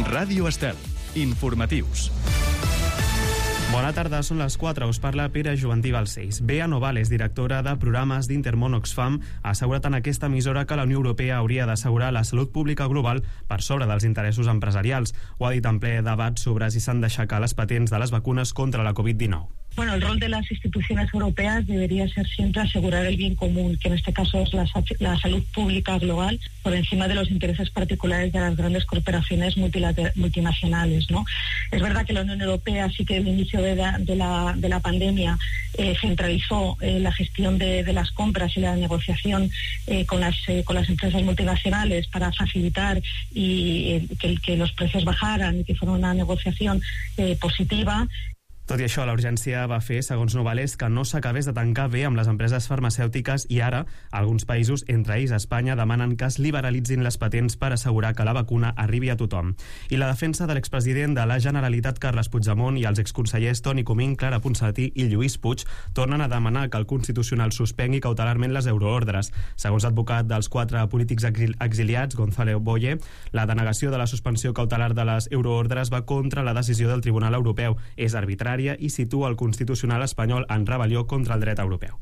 Ràdio Estel. Informatius. Bona tarda, són les 4. Us parla Pere Joventí Balcells. Bea Novales, directora de programes d'Intermón Oxfam, ha assegurat en aquesta emissora que la Unió Europea hauria d'assegurar la salut pública global per sobre dels interessos empresarials. Ho ha dit en ple debat sobre si s'han d'aixecar les patents de les vacunes contra la Covid-19. Bueno, el rol de las instituciones europeas debería ser siempre asegurar el bien común, que en este caso es la salud pública global, por encima de los intereses particulares de las grandes corporaciones multinacionales, ¿no? Es verdad que la Unión Europea sí que al inicio de la pandemia centralizó la gestión de las compras y la negociación con las empresas multinacionales para facilitar y que los precios bajaran y que fuera una negociación positiva. Tot i això, la urgència va fer, segons Novales, que no s'acabés de tancar bé amb les empreses farmacèutiques i ara alguns països, entre ells Espanya, demanen que es liberalitzin les patents per assegurar que la vacuna arribi a tothom. I la defensa de l'expresident de la Generalitat, Carles Puigdemont, i els exconsellers Toni Comín, Clara Ponsatí i Lluís Puig tornen a demanar que el Constitucional suspengui cautelarment les euroordres. Segons l'advocat dels 4 polítics exiliats, Gonzalo Boye, la denegació de la suspensió cautelar de les euroordres va contra la decisió del Tribunal Europeu. És arbitrari i situa el Constitucional espanyol en rebel·lió contra el dret europeu.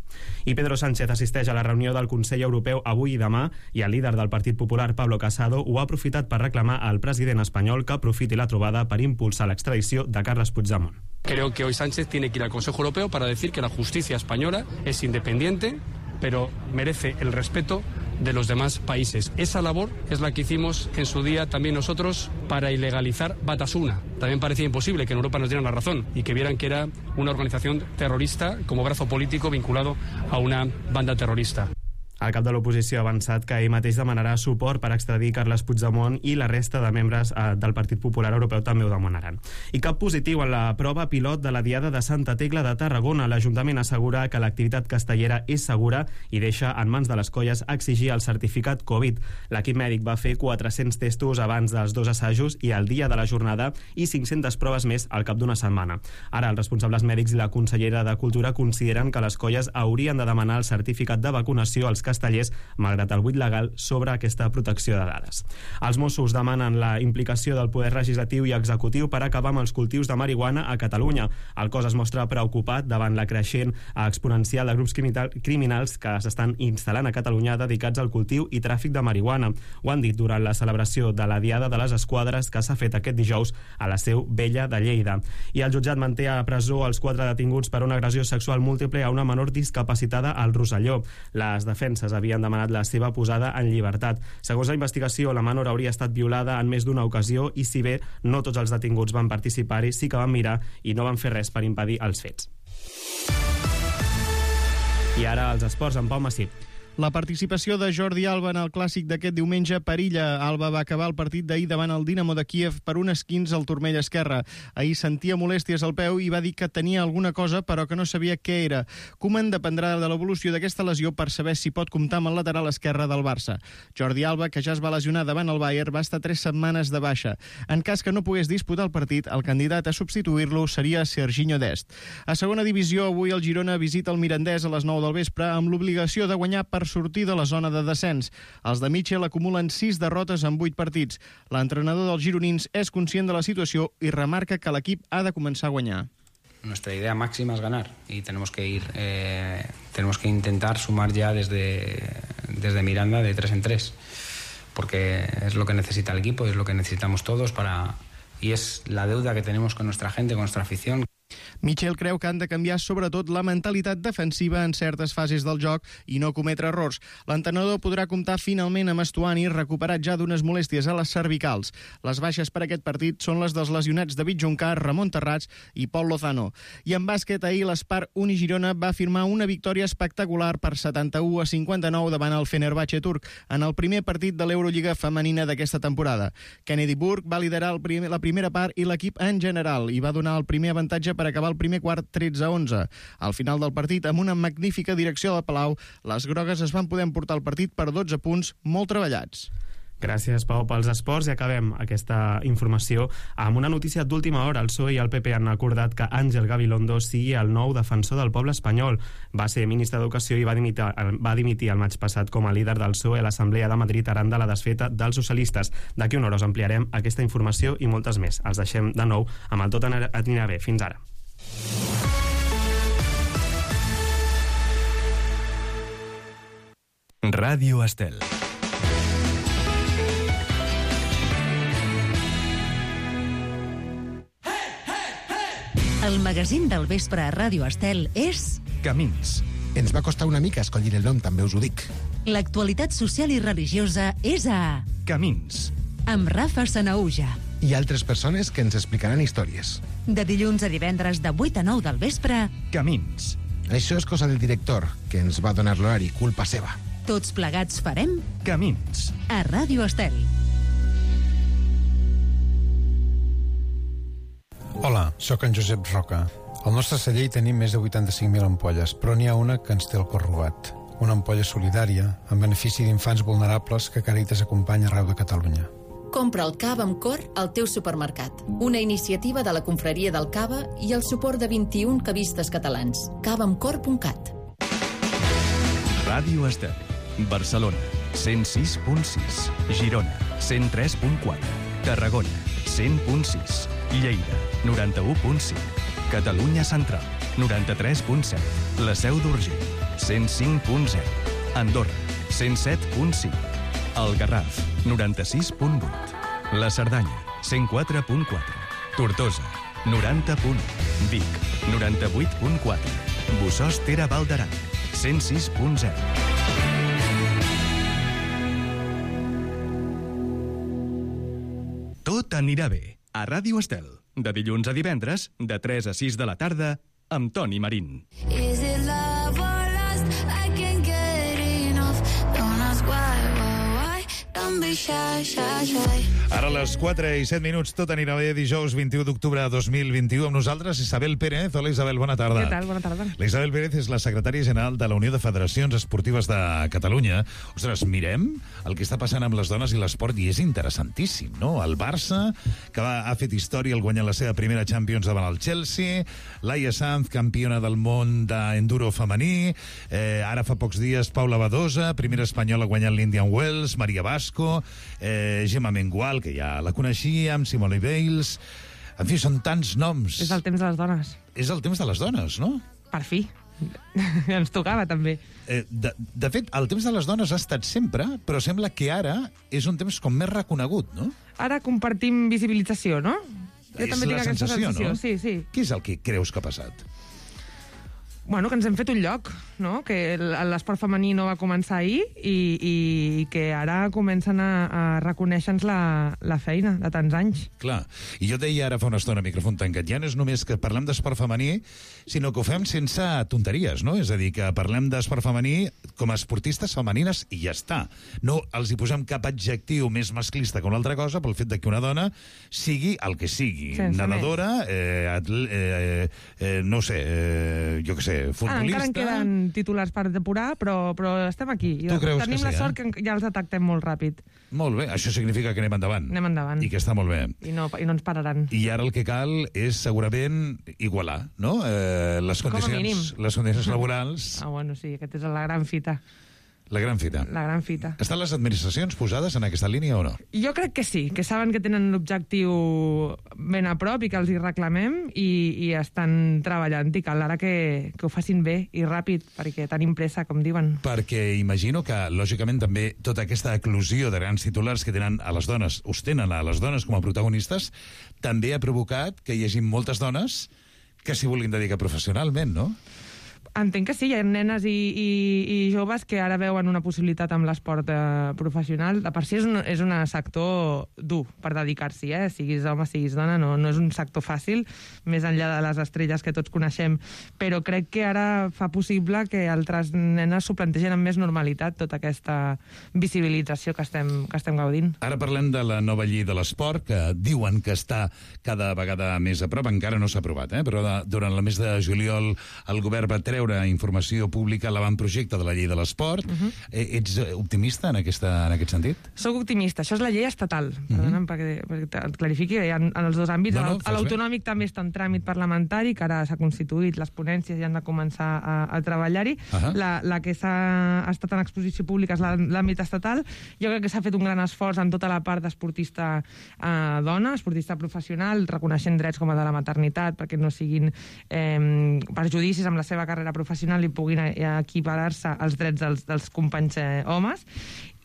I Pedro Sánchez assisteix a la reunió del Consell Europeu avui i demà i el líder del Partit Popular, Pablo Casado, ho ha aprofitat per reclamar al president espanyol que aprofiti la trobada per impulsar l'extradició de Carles Puigdemont. Creo que hoy Sánchez tiene que ir al Consejo Europeo para decir que la justicia española es independiente, pero merece el respeto de los demás países. Esa labor es la que hicimos en su día también nosotros para ilegalizar Batasuna. También parecía imposible que en Europa nos dieran la razón y que vieran que era una organización terrorista como brazo político vinculado a una banda terrorista. El cap de l'oposició ha avançat que ell mateix demanarà suport per extradir Carles Puigdemont i la resta de membres del Partit Popular Europeu també ho demanaran. I cap positiu en la prova pilot de la Diada de Santa Tecla de Tarragona. L'Ajuntament assegura que l'activitat castellera és segura i deixa en mans de les colles exigir el certificat Covid. L'equip mèdic va fer 400 testos abans dels 2 assajos i el dia de la jornada i 500 proves més al cap d'una setmana. Ara els responsables mèdics i la consellera de Cultura consideren que les colles haurien de demanar el certificat de vacunació als castellers, malgrat el buit legal sobre aquesta protecció de dades. Els Mossos demanen la implicació del poder legislatiu i executiu per acabar amb els cultius de marihuana a Catalunya. El cos es mostra preocupat davant la creixent exponencial de grups criminals que s'estan instal·lant a Catalunya dedicats al cultiu i tràfic de marihuana. Ho han dit durant la celebració de la Diada de les Esquadres que s'ha fet aquest dijous a la Seu Vella de Lleida. I el jutjat manté a presó els 4 detinguts per una agressió sexual múltiple a una menor discapacitada al Rosselló. Les defenses havien demanat la seva posada en llibertat. Segons la investigació, la menor hauria estat violada en més d'una ocasió i si bé no tots els detinguts van participar-hi, sí que van mirar i no van fer res per impedir els fets. I ara els esports amb Pau Massip. La participació de Jordi Alba en el clàssic d'aquest diumenge perilla. Alba va acabar el partit d'ahir davant el Dinamo de Kíev per un esquinç al turmell esquerre. Ahir sentia molèsties al peu i va dir que tenia alguna cosa però que no sabia què era. Koeman dependrà de l'evolució d'aquesta lesió per saber si pot comptar amb el lateral esquerre del Barça. Jordi Alba, que ja es va lesionar davant el Bayern, va estar 3 setmanes de baixa. En cas que no pogués disputar el partit, el candidat a substituir-lo seria Serginho Dest. A segona divisió, avui el Girona visita el Mirandès a les 9 del vespre amb l'obligació de guanyar per sortir de la zona de descens. Els de Michel acumulen 6 derrotes en 8 partits. L'entrenador dels gironins és conscient de la situació i remarca que l'equip ha de començar a guanyar. Nuestra idea máxima es ganar y tenemos que intentar sumar ya desde Miranda de 3 en 3, porque es lo que necesita el equipo, es lo que necesitamos todos y es la deuda que tenemos con nuestra gente, con nuestra afición. Michel creu que han de canviar sobretot la mentalitat defensiva en certes fases del joc i no cometre errors. L'entrenador podrà comptar finalment amb Estuani, recuperat ja d'unes molèsties a les cervicals. Les baixes per aquest partit són les dels lesionats David Juncar, Ramon Terrats i Pol Lozano. I en bàsquet, ahir l'Espar Unigirona va firmar una victòria espectacular per 71-59 davant el Fenerbahçe turc en el primer partit de l'Eurolliga femenina d'aquesta temporada. Kennedy Burke va liderar la primera part i l'equip en general i va donar el primer avantatge per acabar el primer quart 13-11. Al final del partit, amb una magnífica direcció del Palau, les grogues es van poder emportar el partit per 12 punts molt treballats. Gràcies, Pau, pels esports, i acabem aquesta informació amb una notícia d'última hora. El PSOE i el PP han acordat que Ángel Gabilondo sigui el nou defensor del poble espanyol. Va ser ministre d'Educació i va dimitir el maig passat com a líder del PSOE a l'Assemblea de Madrid arran de la desfeta dels socialistes. D'aquí una hora us ampliarem aquesta informació i moltes més. Els deixem de nou amb el Tot anirà bé. Fins ara. Ràdio Estel. El magazín del vespre a Ràdio Estel és... Camins. Ens va costar una mica escollir el nom, també us ho dic. L'actualitat social i religiosa és a... Camins. Amb Rafa Sanaúja. I altres persones que ens explicaran històries. De dilluns a divendres de 8 a 9 del vespre... Camins. Això és cosa del director, que ens va donar l'horari, culpa seva. Tots plegats farem... Camins. A Ràdio Estel. Hola, sóc en Josep Roca. Al nostre celler hi tenim més de 85.000 ampolles, però n'hi ha una que ens té el cor robat. Una ampolla solidària, en benefici d'infants vulnerables que Càritas acompanya arreu de Catalunya. Compra el cava amb cor al teu supermercat. Una iniciativa de la Confraria del Cava i el suport de 21 cavistes catalans. cavaamcor.cat. Ràdio Estel. Barcelona, 106.6. Girona, 103.4. Tarragona, 100.6. Lleida, 91.5. Catalunya Central, 93.7. La Seu d'Urgell, 105.0. Andorra, 107.5. El Garraf, 96.8. La Cerdanya, 104.4. Tortosa, 90.1. Vic, 98.4. Bossòst-Tere Val d'Aran, 106.0. Tot anirà bé. A Ràdio Estel, de dilluns a divendres, de 3 a 6 de la tarda, amb Toni Marín. Is it love or lust? I can't get enough. Don't ask why. Don't be shy. Ara a les 4 i 7 minuts, tot anirà bé, dijous 21 d'octubre de 2021. Amb nosaltres, Isabel Pérez. Hola, Isabel, bona tarda. Què tal? Bona tarda. La Isabel Pérez és la secretària general de la Unió de Federacions Esportives de Catalunya. Ostres, mirem el que està passant amb les dones i l'esport i és interessantíssim, no? El Barça, que ha fet història al guanyar la seva primera Champions davant el Chelsea, Laia Sanz, campiona del món d'enduro femení, ara fa pocs dies Paula Badosa, primera espanyola guanyant l'Indian Wells, Maria Vasco, Gemma Mengual, que ja la coneixíem, Simone Biles... En fi, són tants noms. És el temps de les dones. És el temps de les dones, no? Per fi. Ens tocava, també. De fet, el temps de les dones ha estat sempre, però sembla que ara és un temps com més reconegut, no? Ara compartim visibilització, no? Jo també tinc aquesta sensació, no? Sí. Què és el que creus que ha passat? Bueno, que ens hem fet un lloc, no? Que l'esport femení no va començar ahir i que ara comencen a reconèixer-nos la feina de tants anys. Clar, i jo deia ara fa una estona, micròfon tancat, ja no és només que parlem d'esport femení, sinó que ho fem sense tonteries, no? És a dir, que parlem d'esport femení com a esportistes femenines i ja està. No els hi posem cap adjectiu més masclista que una altra cosa pel fet de que una dona sigui el que sigui. Sense nadadora, no sé, jo què sé, futbolista... Encara en queden titulars per depurar, però estem aquí. Tu creus Tenim que sí, la sort que ja els detectem molt ràpid. Molt bé, això significa que anem endavant. Anem endavant. I que està molt bé. I no ens pararan. I ara el que cal és segurament igualar, no? Les condicions laborals... Bueno, sí, aquesta és la gran fita. La gran fita. La gran fita. Estan les administracions posades en aquesta línia o no? Jo crec que sí, que saben que tenen l'objectiu ben a prop i que els hi reclamem i estan treballant i cal ara que ho facin bé i ràpid, perquè tenim pressa, com diuen. Perquè imagino que, lògicament, també tota aquesta eclosió de grans titulars que tenen a les dones, us tenen a les dones com a protagonistes, també ha provocat que hi hagi moltes dones que s'hi vulguin dedicar professionalment, no? Entenc que sí, hi ha nenes i joves que ara veuen una possibilitat amb l'esport professional. De per si és un sector dur per dedicar-s'hi, siguis home, siguis dona, no és un sector fàcil, més enllà de les estrelles que tots coneixem, però crec que ara fa possible que altres nenes s'ho plantegen amb més normalitat, tota aquesta visibilització que estem gaudint. Ara parlem de la nova llei de l'esport, que diuen que està cada vegada més a prop, encara no s'ha aprovat, però durant el mes de juliol el govern va treure treure informació pública a l'avantprojecte de la llei de l'esport. Ets optimista en aquest sentit? Soc optimista. Això és la llei estatal, perdona'm, perquè et clarifiqui, en els dos àmbits. L'autonòmic també està en tràmit parlamentari, que ara s'ha constituït, les ponències ja han de començar a treballar-hi. La que ha estat en exposició pública és l'àmbit estatal. Jo crec que s'ha fet un gran esforç en tota la part d'esportista dona, esportista professional, reconeixent drets com el de la maternitat, perquè no siguin perjudicis amb la seva carrera professional i puguin equiparar-se als drets dels companys homes.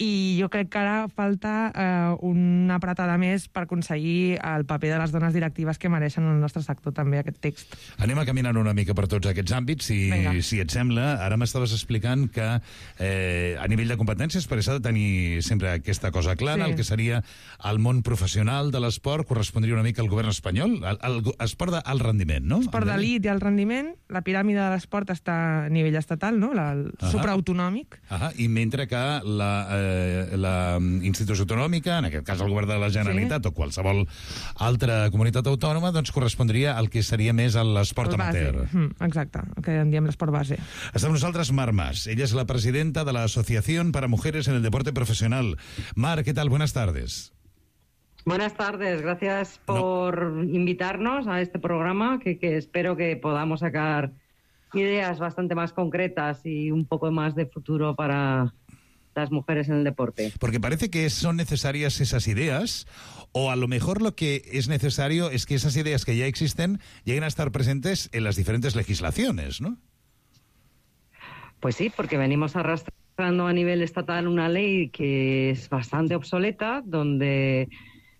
I jo crec que ara falta una apretada més per aconseguir el paper de les dones directives que mereixen en el nostre sector també, aquest text. Anem a caminar una mica per tots aquests àmbits, si et sembla. Ara m'estaves explicant que a nivell de competències, perquè s'ha de tenir sempre aquesta cosa clara, el que seria el món professional de l'esport correspondria una mica al govern espanyol, l'esport d'alt rendiment, no? Esport d'elit i alt rendiment, la piràmide de l'esport està a nivell estatal, no? El supraautonòmic. I mentre que la institució autonòmica, en aquest cas el govern de la Generalitat o qualsevol altra comunitat autònoma, doncs correspondria al que seria més a l'esport amateur. Exacte, el que en diem l'esport base. Està amb nosaltres Mar Mas. Ella és la presidenta de la Asociación para Mujeres en el Deporte Profesional. Mar, ¿qué tal? Buenas tardes. Buenas tardes, gracias por invitarnos a este programa que espero que podamos sacar ideas bastante más concretas y un poco más de futuro para las mujeres en el deporte. Porque parece que son necesarias esas ideas, o a lo mejor lo que es necesario es que esas ideas que ya existen lleguen a estar presentes en las diferentes legislaciones, ¿no? Pues sí, porque venimos arrastrando a nivel estatal una ley que es bastante obsoleta, donde,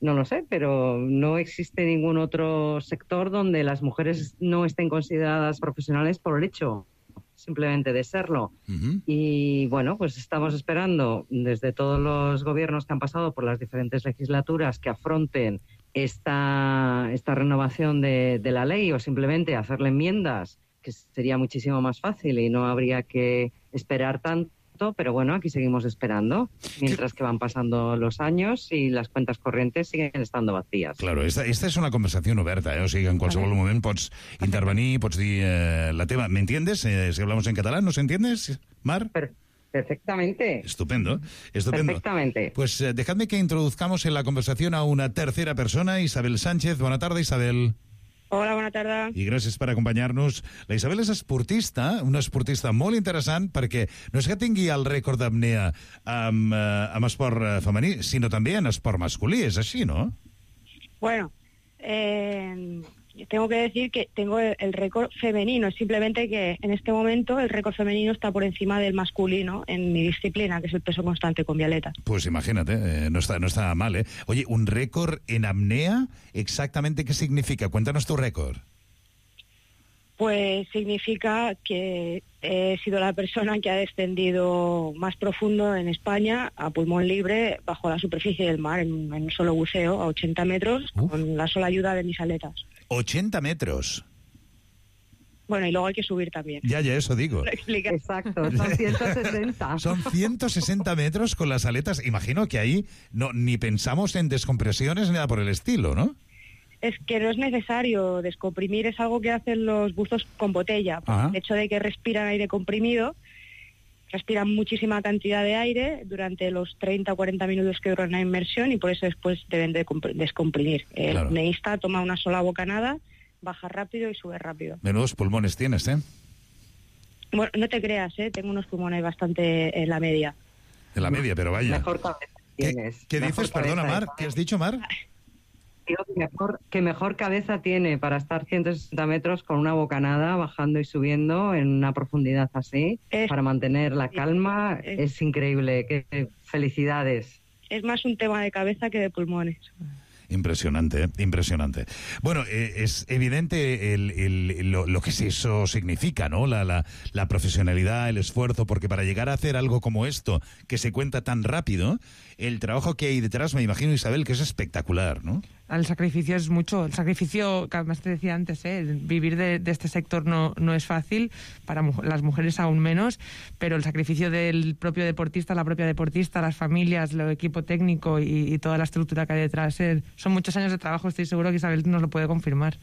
no lo sé, pero no existe ningún otro sector donde las mujeres no estén consideradas profesionales por el hecho simplemente de serlo. Y bueno, pues estamos esperando desde todos los gobiernos que han pasado por las diferentes legislaturas que afronten esta renovación de la ley, o simplemente hacerle enmiendas, que sería muchísimo más fácil y no habría que esperar tanto. Pero bueno, aquí seguimos esperando, mientras que van pasando los años y las cuentas corrientes siguen estando vacías. Claro, esta és una conversació oberta, o sigui, en qualsevol moment pots intervenir, pots dir la teva. ¿Me entiendes? Si hablamos en catalán, ¿nos entiendes, Mar? Perfectamente. Estupendo, estupendo. Perfectamente. Pues dejadme que introduzcamos en la conversación a una tercera persona, Isabel Sánchez. Buena tarde, Isabel. Hola, bona tarda. I gràcies per acompanyar-nos. La Isabel és esportista, una esportista molt interessant, perquè no és que tingui el rècord d'apnea amb esport femení, sinó també en esport masculí, és així, no? Bueno, tengo que decir que tengo el récord femenino, simplemente que en este momento el récord femenino está por encima del masculino en mi disciplina, que es el peso constante con Violeta. Pues imagínate, no está mal, ¿eh? Oye, un récord en apnea, ¿exactamente qué significa? Cuéntanos tu récord. Pues significa que he sido la persona que ha descendido más profundo en España a pulmón libre bajo la superficie del mar en un solo buceo a 80 metros con la sola ayuda de mis aletas. 80 metros. Bueno, y luego hay que subir también. Ya, eso digo. Exacto, son 160. Son 160 metros con las aletas. Imagino que ahí ni pensamos en descompresiones ni nada por el estilo, ¿no? Es que no es necesario descomprimir, es algo que hacen los buzos con botella. El hecho de que respiran aire comprimido, respiran muchísima cantidad de aire durante los 30 o 40 minutos que dura una inmersión y por eso después deben de descomprimir. El apneísta toma una sola bocanada, baja rápido y sube rápido. Menudos pulmones tienes, ¿eh? Bueno, no te creas, tengo unos pulmones bastante en la media. En la media, pero vaya. Mejor cabeza tienes. ¿Qué dices? Perdona, Mar, ¿qué has dicho, Mar? Que mejor cabeza tiene para estar 160 metros con una bocanada, bajando y subiendo en una profundidad así, para mantener la calma. Es increíble. Felicidades. Es más un tema de cabeza que de pulmones. Impresionante, impresionante. Bueno, es evidente lo que eso significa, ¿no? La profesionalidad, el esfuerzo, porque para llegar a hacer algo como esto, que se cuenta tan rápido, el trabajo que hay detrás, me imagino, Isabel, que es espectacular, ¿no? El sacrificio es mucho. El sacrificio, que además te decía antes, vivir de este sector no es fácil, para las mujeres aún menos, pero el sacrificio del propio deportista, la propia deportista, las familias, el equipo técnico y toda la estructura que hay detrás, son muchos años de trabajo, estoy seguro que Isabel nos lo puede confirmar.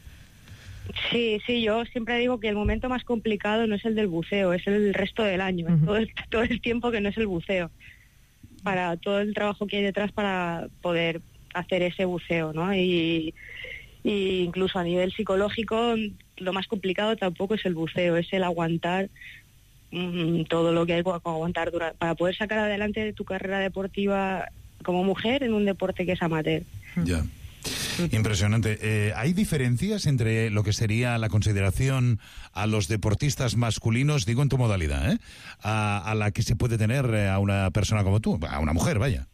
Sí, yo siempre digo que el momento más complicado no es el del buceo, es el resto del año, todo el tiempo que no es el buceo, para todo el trabajo que hay detrás para poder hacer ese buceo, ¿no? Y incluso a nivel psicológico, lo más complicado tampoco es el buceo, es el aguantar todo lo que hay que aguantar para poder sacar adelante tu carrera deportiva como mujer en un deporte que es amateur. Ya. Impresionante. ¿Hay diferencias entre lo que sería la consideración a los deportistas masculinos, digo en tu modalidad, a la que se puede tener a una persona como tú, a una mujer, vaya?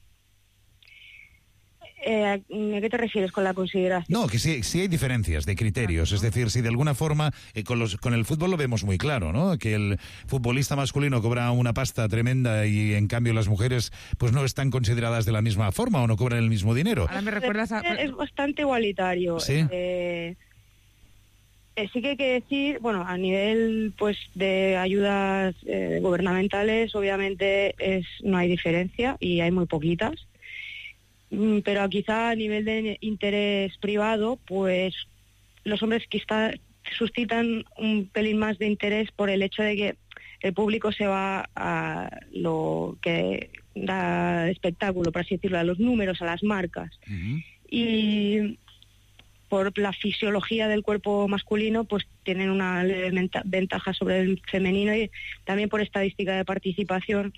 ¿A qué te refieres con la consideración? No, que sí hay diferencias de criterios. Es decir, si de alguna forma, con el fútbol lo vemos muy claro, ¿no? Que el futbolista masculino cobra una pasta tremenda y en cambio las mujeres pues no están consideradas de la misma forma o no cobran el mismo dinero. Ahora me recuerdas Es bastante igualitario. ¿Sí? Sí que hay que decir, bueno, a nivel pues de ayudas gubernamentales, obviamente no hay diferencia y hay muy poquitas. Pero quizá a nivel de interés privado, pues los hombres quizá suscitan un pelín más de interés por el hecho de que el público se va a lo que da espectáculo, por así decirlo, a los números, a las marcas. Y por la fisiología del cuerpo masculino, pues tienen una leve ventaja sobre el femenino y también por estadística de participación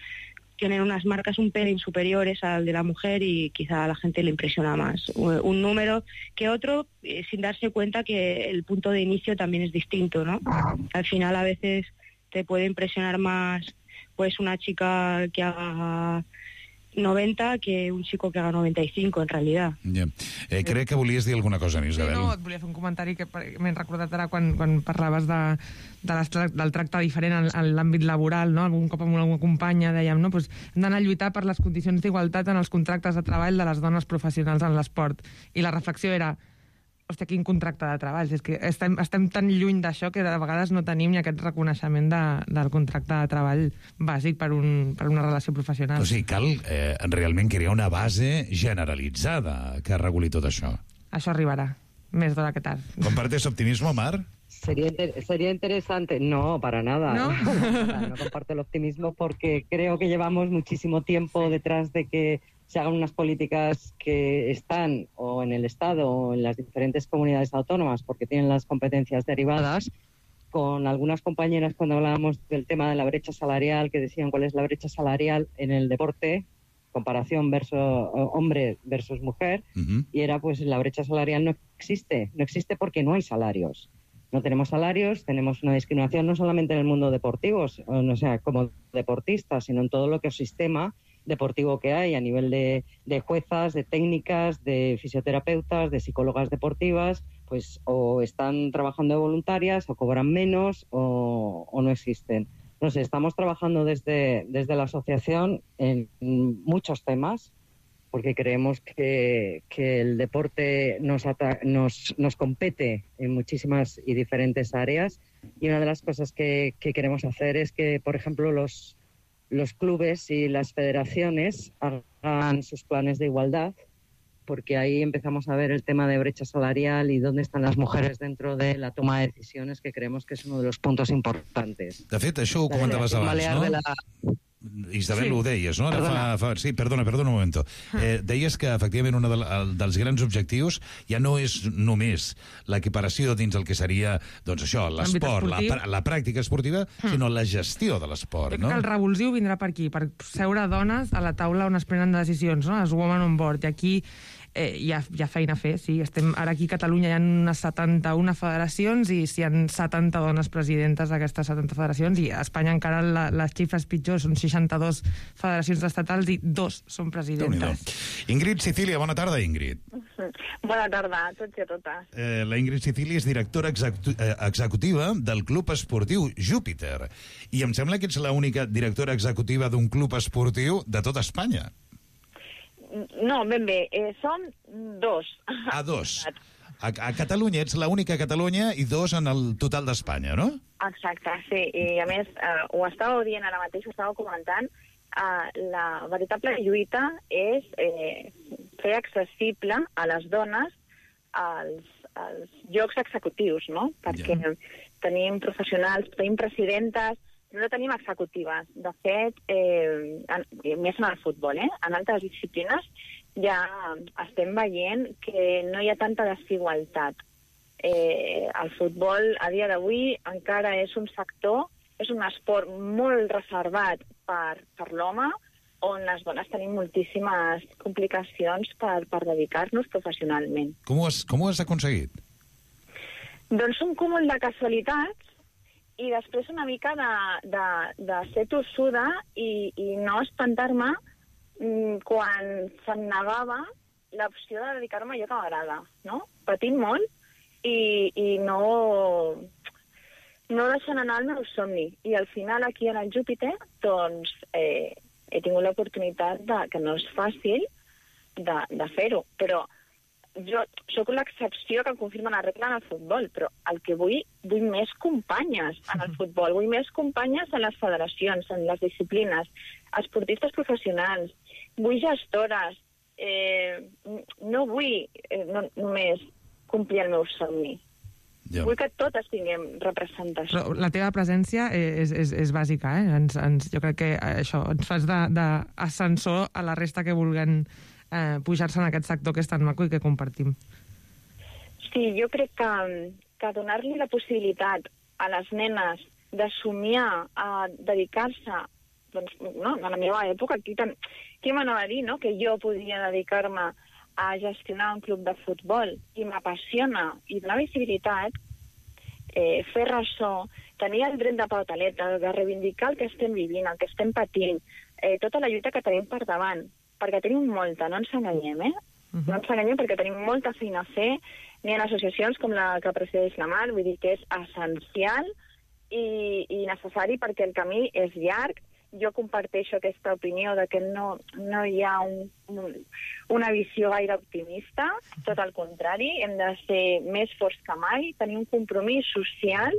tienen unas marcas un pelín superiores al de la mujer y quizá a la gente le impresiona más un número que otro, sin darse cuenta que el punto de inicio también es distinto, ¿no? Al final a veces te puede impresionar más pues una chica que haga 90 que un chico que haga 95, en realidad. Yeah. Crec que volies dir alguna cosa, Isabel. Sí, no, et volia fer un comentari que m'he recordat ara quan parlaves del tracte diferent en l'àmbit laboral, no? Algun cop amb alguna companya dèiem, no? Pues hem d'anar a lluitar per les condicions d'igualtat en els contractes de treball de les dones professionals en l'esport. I la reflexió era, hòstia, quin contracte de treball. És que estem tan lluny d'això que de vegades no tenim ni aquest reconeixement del contracte de treball bàsic per una relació professional. O sigui, cal realment crear una base generalitzada que reguli tot això. Això arribarà, més d'hora que tard. ¿Compartes optimismo, Mar? Sería interesante. No, para nada. ¿No? No comparto el optimismo porque creo que llevamos muchísimo tiempo detrás de que se hagan unas políticas que están o en el Estado o en las diferentes comunidades autónomas porque tienen las competencias derivadas. Con algunas compañeras cuando hablábamos del tema de la brecha salarial, que decían cuál es la brecha salarial en el deporte, comparación hombre versus mujer, y era pues la brecha salarial no existe porque no hay salarios. No tenemos salarios, tenemos una discriminación no solamente en el mundo deportivo, o sea, como deportistas, sino en todo lo que es sistema deportivo que hay a nivel de juezas, de técnicas, de fisioterapeutas, de psicólogas deportivas, pues o están trabajando de voluntarias o cobran menos o no existen. No sé, estamos trabajando desde la asociación en muchos temas porque creemos que el deporte nos compete en muchísimas y diferentes áreas y una de las cosas que queremos hacer es que, por ejemplo, los clubes y las federaciones hagan sus planes de igualdad, porque ahí empezamos a ver el tema de brecha salarial y dónde están las mujeres dentro de la toma de decisiones, que creemos que es uno de los puntos importantes. De fet, això ho comentaves abans, no? Isabel, ho deies, no? Sí, perdona un moment. Deies que, efectivament, un dels grans objectius ja no és només l'equiparació dins el que seria, doncs això, l'esport, la pràctica esportiva, sinó la gestió de l'esport, no? El revulsiu vindrà per aquí, per seure dones a la taula on es prenen decisions, no? Les Women on Board. I aquí hi ha feina a fer, sí. Ara aquí a Catalunya hi ha unes 71 federacions i hi ha 70 dones presidentes d'aquestes 70 federacions i a Espanya encara les xifres pitjors, són 62 federacions estatals i 2 són presidentes. Ingrid Sicilia, bona tarda, Ingrid. Bona tarda a tots i a totes. La Ingrid Sicilia és directora executiva del Club Esportiu Júpiter i em sembla que ets l'única directora executiva d'un club esportiu de tota Espanya. No, ben bé, som 2. Ah, 2. A Catalunya ets l'única a Catalunya i 2 en el total d'Espanya, no? Exacte, sí. I a més, ho estàveu dient ara mateix, ho estàveu comentant, la veritable lluita és fer accessible a les dones llocs executius, no? Perquè tenim professionals, tenim presidentes, no tenim executives. De fet, més en el futbol, en altres disciplines ja estem veient que no hi ha tanta desigualtat. El futbol, a dia d'avui, encara és un sector, és un esport molt reservat per l'home, on les dones tenim moltíssimes complicacions per dedicar-nos professionalment. Com ho has aconseguit? Doncs un cúmul de casualitats i després una mica de ser tossuda i no espantar-me quan se'm negava l'opció de dedicar-me a allò que m'agrada, no? Patint molt i no deixant anar el meu somni. I al final, aquí en el Júpiter, doncs, he tingut l'oportunitat, que no és fàcil, de fer-ho. Però jo sóc l'excepció que confirma la regla en el futbol, però el que vull més companyes en el futbol, vull més companyes en les federacions, en les disciplines, esportistes professionals, vull gestores, no vull només complir el meu somni. Vull que totes tinguem representació. Però la teva presència és bàsica, jo crec que això ens fas d'ascensor a la resta que vulguen pujar-se en aquest sector que és tan maco i que compartim. Sí, jo crec que donar-li la possibilitat a les nenes de somiar, a dedicar-se, doncs, no, a la meva època, qui m'anava a dir, no?, que jo podia dedicar-me a gestionar un club de futbol i m'apassiona i donar visibilitat, fer ressò, tenir el dret de pautaleta, de reivindicar el que estem vivint, el que estem patint, tota la lluita que tenim per davant, perquè tenim molta, no ens enganyem, No ens enganyem perquè tenim molta feina a fer, n'hi ha associacions com la que presideix la Mar, vull dir que és essencial i necessari perquè el camí és llarg. Jo comparteixo aquesta opinió de que no hi ha una visió gaire optimista, tot el contrari, hem de ser més forts que mai, tenir un compromís social,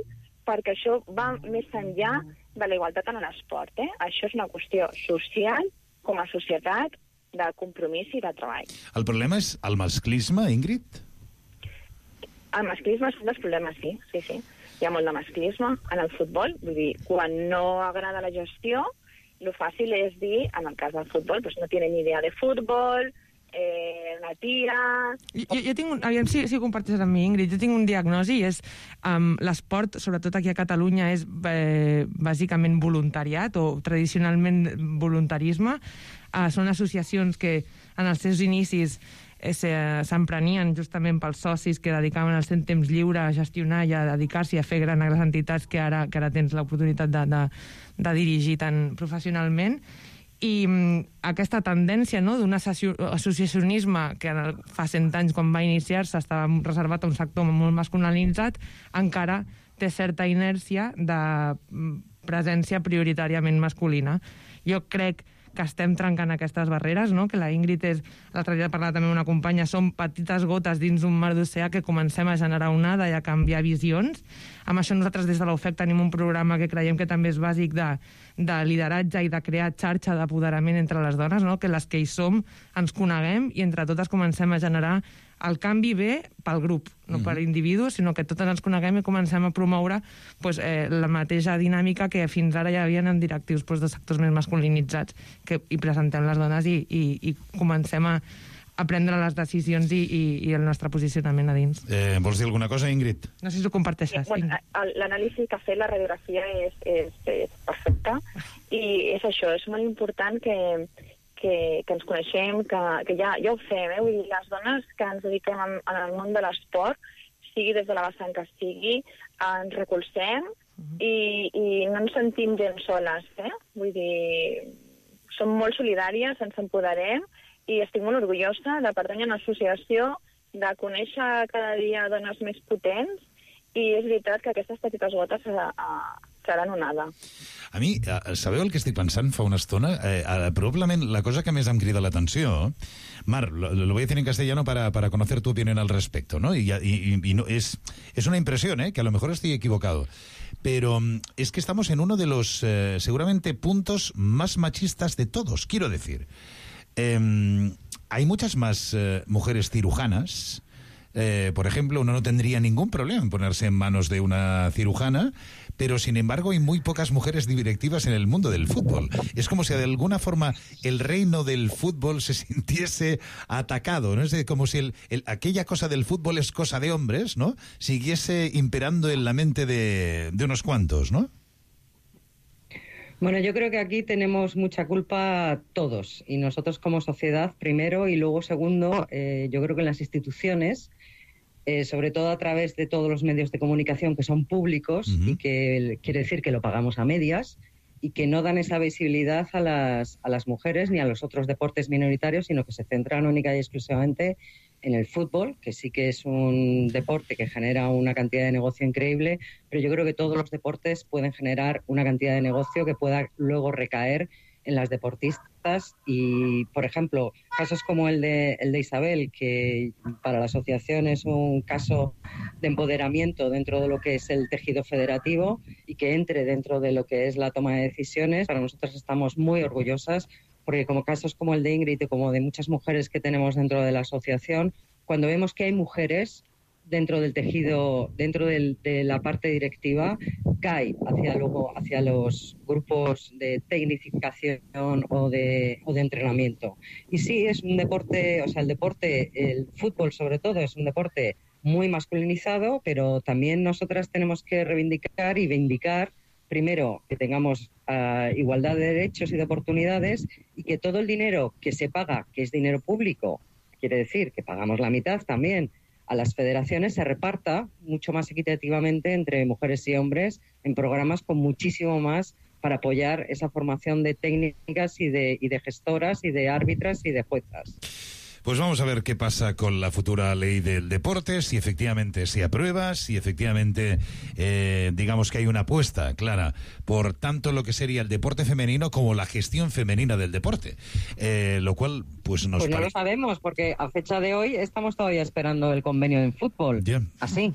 perquè això va més enllà de la igualtat en l'esport. Això és una qüestió social, com a societat, de compromís i de treball. El problema és el masclisme, Ingrid? El masclisme és un dels problemes, sí. Hi ha molt de masclisme en el futbol, vull dir, quan no agrada la gestió, lo fàcil és dir, en el cas del futbol, doncs no tienen ni idea de futbol, una tira... Jo tinc aviam si comparteixes amb mi, Ingrid, jo tinc un diagnosi i és l'esport, sobretot aquí a Catalunya, és bàsicament voluntariat o tradicionalment voluntarisme. Són associacions que en els seus inicis s'emprenien justament pels socis que dedicaven el seu temps lliure a gestionar i a dedicar-s'hi a fer gran a les entitats que ara tens l'oportunitat de dirigir tan professionalment. I aquesta tendència d'un associacionisme que fa 100 anys, quan va iniciar-se, estava reservat a un sector molt masculinitzat, encara té certa inèrcia de presència prioritàriament masculina. Jo crec que estem trencant aquestes barreres, no? Que la Ingrid l'altre dia parlava també amb una companya, són petites gotes dins un mar d'oceà que comencem a generar onada i a canviar visions. Amb això nosaltres des de l'OFEC tenim un programa que creiem que també és bàsic de lideratge i de crear xarxa d'apoderament entre les dones, no? Que les que hi som ens coneguem i entre totes comencem a generar el canvi bé pel grup, no per individus, sinó que totes ens coneguem i comencem a promoure la mateixa dinàmica que fins ara ja havien en directius de sectors més masculinitzats, que hi presentem les dones i comencem a prendre les decisions i el nostre posicionament a dins. Vols dir alguna cosa, Ingrid? No sé si ho comparteixes. L'anàlisi que ha fet la radiografia és perfecta i és això, és molt important que ens coneixem, que ja ho fem, vull dir, les dones que ens dediquem al món de l'esport, sigui des de la vessant que sigui, ens recolzem i no ens sentim gens soles, vull dir, som molt solidàries, ens empoderem i estic molt orgullosa de pertànyer a una associació, de conèixer cada dia dones més potents i és veritat que aquestes petites gotes seran onada. A mi, sabeu el que estic pensant fa una estona? Probablement la cosa que més em crida l'atenció, Mar, lo voy a decir en castellano para conocer tu opinión al respecto, ¿no? Y no, es una impresión, que a lo mejor estoy equivocado, pero es que estamos en uno de los seguramente puntos más machistas de todos, quiero decir. Hay muchas más mujeres cirujanas, por ejemplo, uno no tendría ningún problema en ponerse en manos de una cirujana, pero sin embargo hay muy pocas mujeres directivas en el mundo del fútbol. Es como si de alguna forma el reino del fútbol se sintiese atacado, ¿no? Es como si aquella cosa del fútbol es cosa de hombres, ¿no? Siguiese imperando en la mente de unos cuantos, ¿no? Bueno, yo creo que aquí tenemos mucha culpa todos, y nosotros como sociedad primero, y luego segundo, yo creo que en las instituciones, sobre todo a través de todos los medios de comunicación que son públicos, y que quiere decir que lo pagamos a medias, y que no dan esa visibilidad a las mujeres ni a los otros deportes minoritarios, sino que se centran única y exclusivamente en el fútbol, que sí que es un deporte que genera una cantidad de negocio increíble, pero yo creo que todos los deportes pueden generar una cantidad de negocio que pueda luego recaer en las deportistas. Y, por ejemplo, casos como el de Isabel, que para la asociación es un caso de empoderamiento dentro de lo que es el tejido federativo y que entre dentro de lo que es la toma de decisiones, para nosotros estamos muy orgullosas, porque como casos como el de Ingrid y como de muchas mujeres que tenemos dentro de la asociación, cuando vemos que hay mujeres dentro del tejido, dentro de la parte directiva, cae hacia los grupos de tecnificación o de entrenamiento. Y sí, es un deporte, o sea, el fútbol sobre todo es un deporte muy masculinizado, pero también nosotras tenemos que reivindicar y vindicar, primero, que tengamos igualdad de derechos y de oportunidades, y que todo el dinero que se paga, que es dinero público, quiere decir que pagamos la mitad también a las federaciones, se reparta mucho más equitativamente entre mujeres y hombres en programas con muchísimo más para apoyar esa formación de técnicas y de gestoras y de árbitras y de juezas. Pues vamos a ver qué pasa con la futura ley del deporte, si efectivamente se aprueba, si efectivamente digamos que hay una apuesta clara por tanto lo que sería el deporte femenino como la gestión femenina del deporte, lo cual pues nos no lo sabemos, porque a fecha de hoy estamos todavía esperando el convenio en fútbol, así,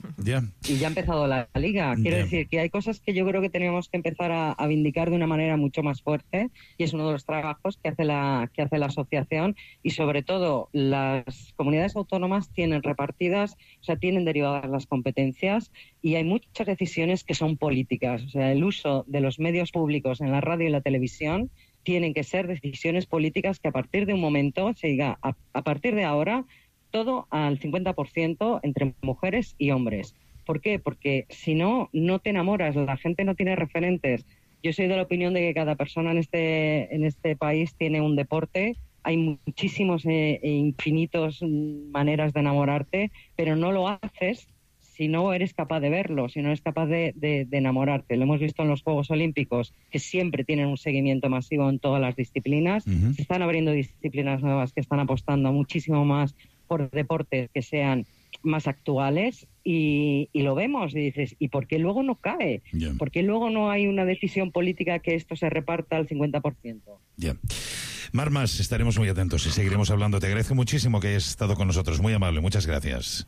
y ya ha empezado la liga. Quiero decir que hay cosas que yo creo que tenemos que empezar a vindicar de una manera mucho más fuerte, y es uno de los trabajos que hace la asociación, y sobre todo las comunidades autónomas tienen repartidas, o sea, tienen derivadas las competencias, y hay muchas decisiones que son políticas. O sea, el uso de los medios públicos en la radio y la televisión tienen que ser decisiones políticas que a partir de un momento se diga, a partir de ahora, todo al 50% entre mujeres y hombres. ¿Por qué? Porque si no, no te enamoras, la gente no tiene referentes. Yo soy de la opinión de que cada persona en este país tiene un deporte. Hay muchísimos e infinitos maneras de enamorarte, pero no lo haces si no eres capaz de verlo, si no eres capaz de enamorarte. Lo hemos visto en los Juegos Olímpicos, que siempre tienen un seguimiento masivo en todas las disciplinas. Se están abriendo disciplinas nuevas que están apostando muchísimo más por deportes que sean más actuales, y lo vemos y dices, ¿y por qué luego no cae? ¿Por qué luego no hay una decisión política que esto se reparta al 50%? Marmas, estaremos muy atentos y seguiremos hablando. Te agradezco muchísimo que hayas estado con nosotros, muy amable, muchas gracias.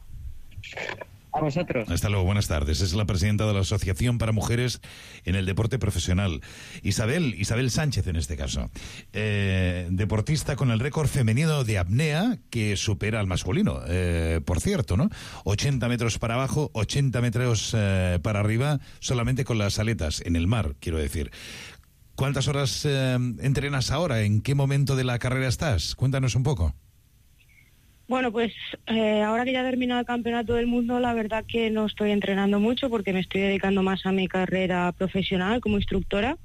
A vosotros. Hasta luego, buenas tardes. Es la presidenta de la Asociación para Mujeres en el Deporte Profesional. Isabel Sánchez, en este caso. Deportista con el récord femenino de apnea que supera al masculino, por cierto, ¿no? 80 metros para abajo, 80 metros para arriba, solamente con las aletas, en el mar, quiero decir. ¿Cuántas horas entrenas ahora? ¿En qué momento de la carrera estás? Cuéntanos un poco. Bueno, pues ahora que ya he terminado el campeonato del mundo, la verdad que no estoy entrenando mucho porque me estoy dedicando más a mi carrera profesional como instructora.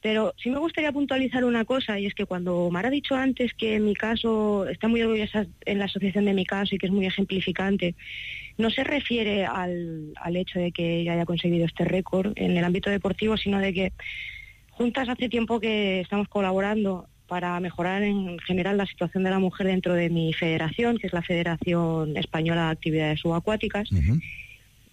Pero sí me gustaría puntualizar una cosa, y es que cuando Omar ha dicho antes que en mi caso, está muy orgullosa en la asociación de mi caso y que es muy ejemplificante, no se refiere al hecho de que ella haya conseguido este récord en el ámbito deportivo, sino de que juntas hace tiempo que estamos colaborando para mejorar en general la situación de la mujer dentro de mi federación, que es la Federación Española de Actividades Subacuáticas.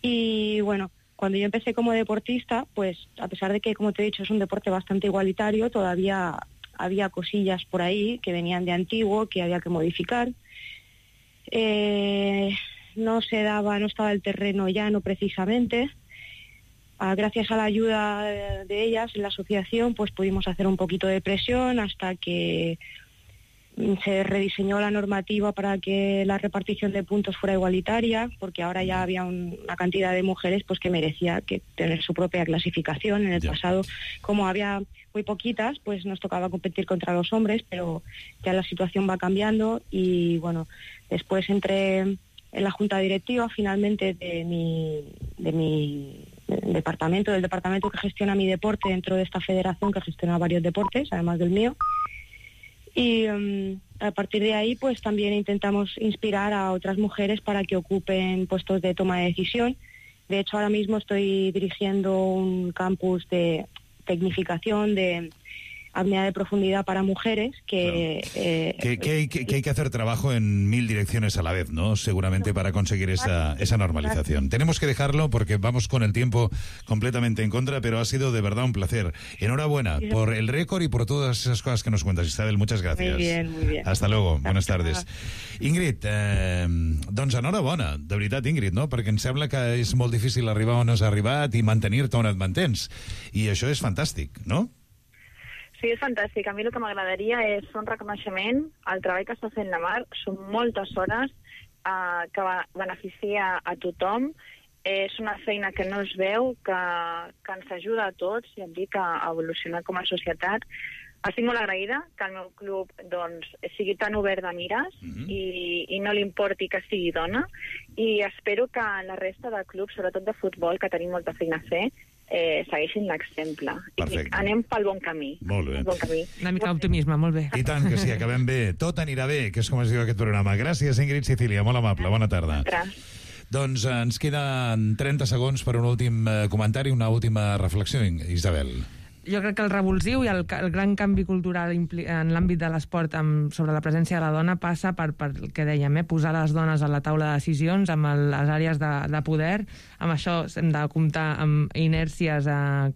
Y bueno, cuando yo empecé como deportista, pues a pesar de que, como te he dicho, es un deporte bastante igualitario, todavía había cosillas por ahí que venían de antiguo, que había que modificar. No estaba el terreno llano precisamente. Gracias a la ayuda de ellas en la asociación, pues pudimos hacer un poquito de presión hasta que se rediseñó la normativa para que la repartición de puntos fuera igualitaria, porque ahora ya había una cantidad de mujeres pues que merecía que tener su propia clasificación. En el pasado, como había muy poquitas, pues nos tocaba competir contra los hombres, pero ya la situación va cambiando y bueno, después entré en la junta directiva finalmente de mi departamento, del departamento que gestiona mi deporte dentro de esta federación que gestiona varios deportes, además del mío. Y a partir de ahí pues también intentamos inspirar a otras mujeres para que ocupen puestos de toma de decisión. De hecho, ahora mismo estoy dirigiendo un campus de tecnificación de apnea de profundidad para mujeres que hay que hacer trabajo en 1000 direcciones a la vez, ¿no? Seguramente para conseguir esa normalización. Tenemos que dejarlo porque vamos con el tiempo completamente en contra, pero ha sido de verdad un placer. Enhorabuena por el récord y por todas esas cosas que nos cuentas, Isabel. Muchas gracias. Muy bien, muy bien. Hasta luego. Buenas tardes. Ingrid, doncs enhorabona, de veritat, Ingrid, no? Perquè em sembla que és molt difícil arribar on has arribat i mantenir-te on et mantens. I això és fantàstic, no? Sí, és fantàstic. A mi el que m'agradaria és fer un reconeixement al treball que està fent la Mar. Són moltes hores que beneficia a tothom. És una feina que no es veu, que ens ajuda a tots, ja et dic, a evolucionar com a societat. Estic molt agraïda que el meu club doncs, sigui tan obert de mires i no li importi que sigui dona. I espero que la resta de clubs, sobretot de futbol, que tenim molta feina a fer, segueixin l'exemple. I anem pel bon camí. Molt bé. Bon camí. Una mica d'optimisme, molt bé. I tant que sí, acabem bé. Tot anirà bé, que és com es diu aquest programa. Gràcies, Ingrid Sicilia, molt amable. Bona tarda. Doncs ens queden 30 segons per un últim comentari, una última reflexió, Isabel. Jo crec que el revulsiu i el gran canvi cultural en l'àmbit de l'esport sobre la presència de la dona passa per el que dèiem, posar les dones a la taula de decisions, amb les àrees de poder. Amb això hem de comptar amb inèrcies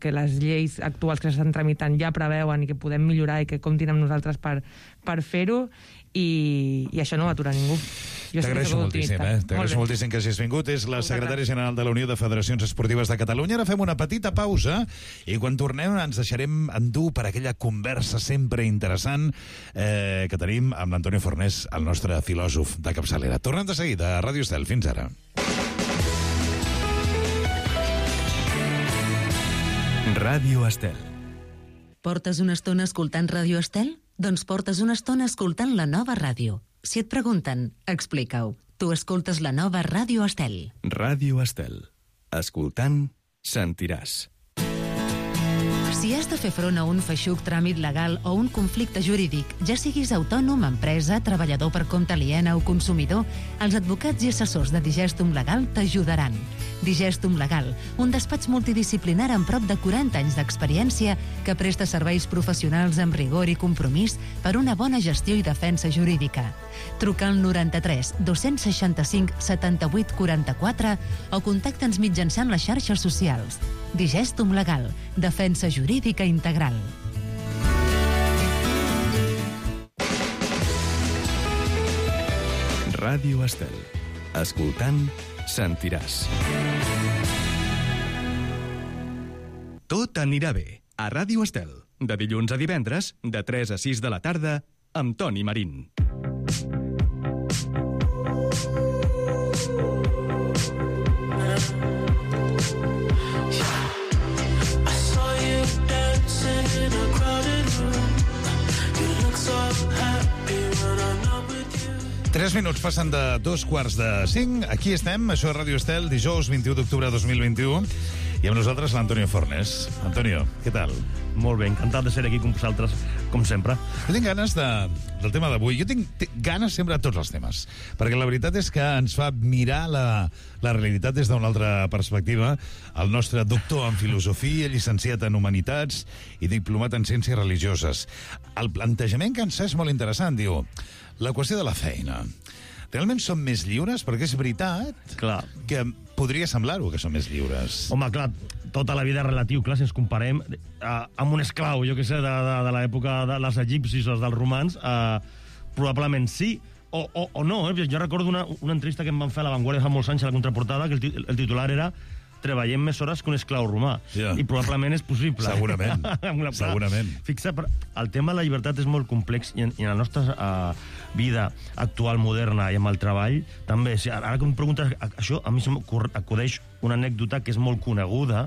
que les lleis actuals que s'estan tramitant ja preveuen i que podem millorar i que comptin amb nosaltres per fer-ho. I això no ho atura ningú. T'agraeixo moltíssim, T'agraeixo moltíssim que hagis vingut. És la secretària general de la Unió de Federacions Esportives de Catalunya. Ara fem una petita pausa i quan tornem ens deixarem endur per aquella conversa sempre interessant que tenim amb l'Antonio Fornés, el nostre filòsof de capçalera. Tornem de seguida a Ràdio Estel. Fins ara. Ràdio Estel. Portes una estona escoltant Ràdio Estel? Doncs portes una estona escoltant la nova ràdio. Si et pregunten, explica-ho. Tu escoltes la nova Ràdio Estel. Ràdio Estel. Escoltant, sentiràs. Si has de fer front a un feixuc tràmit legal o un conflicte jurídic, ja siguis autònom, empresa, treballador per compte aliena o consumidor, els advocats i assessors de Digestum Legal t'ajudaran. Digestum Legal, un despatx multidisciplinar amb prop de 40 anys d'experiència que presta serveis professionals amb rigor i compromís per una bona gestió i defensa jurídica. Truca al 93 265 78 44 o contacta'ns mitjançant les xarxes socials. Digestum Legal, defensa jurídica integral. Ràdio Estel. Escoltant, sentiràs. Tot anirà bé. A Ràdio Estel. De dilluns a divendres, de 3 a 6 de la tarda, amb Toni Marín. Tres minuts passen de 2:45. Aquí estem, això és Ràdio Estel, dijous 21 d'octubre de 2021. I amb nosaltres l'Antonio Fornés. Antonio, què tal? Molt bé, encantat de ser aquí amb vosaltres, com sempre. Jo tinc ganes del tema d'avui. Jo tinc ganes sempre de tots els temes, perquè la veritat és que ens fa mirar la realitat des d'una altra perspectiva. El nostre doctor en filosofia, llicenciat en humanitats i diplomat en ciències religioses. El plantejament que ens fa és molt interessant, diu, la qüestió de la feina. Realment som més lliures? Perquè és veritat que podria semblar-ho que som més lliures. Home, clar, tota la vida és relatiu. Clar, si ens comparem amb un esclau, jo què sé, de l'època dels egipcis o dels romans, probablement sí, o no. Jo recordo una entrevista que em van fer a La Vanguardia fa molts anys a la contraportada, que el titular era treballem més hores que un esclau romà. I probablement és possible. Segurament. Segurament. Fixa, el tema de la llibertat és molt complex i en la nostra vida actual, moderna i amb el treball, també. Ara que em preguntes això, a mi m'acudeix una anècdota que és molt coneguda,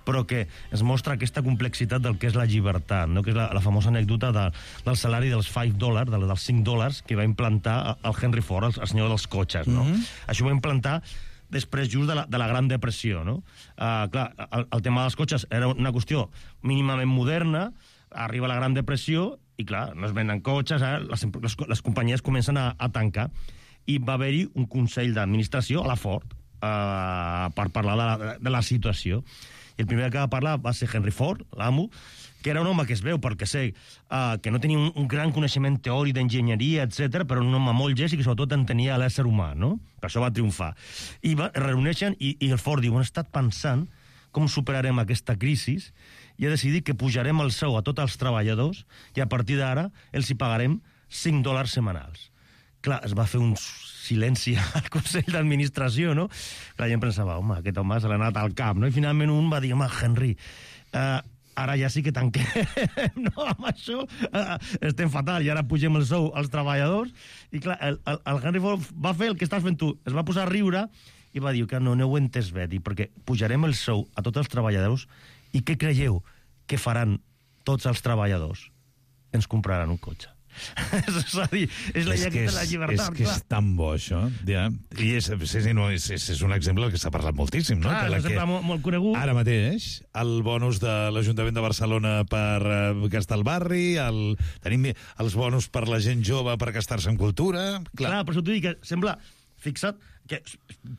però que es mostra aquesta complexitat del que és la llibertat, no? Que és la famosa anècdota del salari dels $5, dels $5 que va implantar el Henry Ford, el senyor dels cotxes, no? Això ho va implantar després just de la Gran Depressió, no? Clar, el tema dels cotxes era una qüestió mínimament moderna, arriba la Gran Depressió i, clar, no es venen cotxes, les companyies comencen a tancar. I va haver-hi un consell d'administració a la Ford per parlar de la situació. I el primer que va parlar va ser Henry Ford, l'amo, que era un home que es veu, perquè sé, que no tenia un gran coneixement teòric d'enginyeria, etc, però un home molt llest i que sobretot entenia l'ésser humà, no? Per això va triomfar. I es reuneixen i el Ford diu, hem estat pensant com superarem aquesta crisi i ha decidit que pujarem el sou a tots els treballadors i a partir d'ara els hi pagarem $5 setmanals. Clar, es va fer un silenci al Consell d'Administració, no? La gent pensava, home, aquest home se l'ha anat al cap, no? I finalment un va dir, home, Henry, ara ja sí que tanquem, no? Amb això estem fatal i ara pugem el sou als treballadors. I clar, el Henry Ford va fer el que estàs fent tu, es va posar a riure i va dir que no ho he entès bé, perquè pujarem el sou a tots els treballadors i què creieu que faran tots els treballadors? Ens compraran un cotxe. És a dir, és la llei de la llibertat. És que és tan bo, això. Ja. I és un exemple que s'ha parlat moltíssim, no? Clar, és un exemple molt conegut. Ara mateix, el bonus de l'Ajuntament de Barcelona per gastar al barri, tenim els bonus per la gent jove per gastar-se en cultura... Clar, per això t'ho dic, que sembla... Fixa't que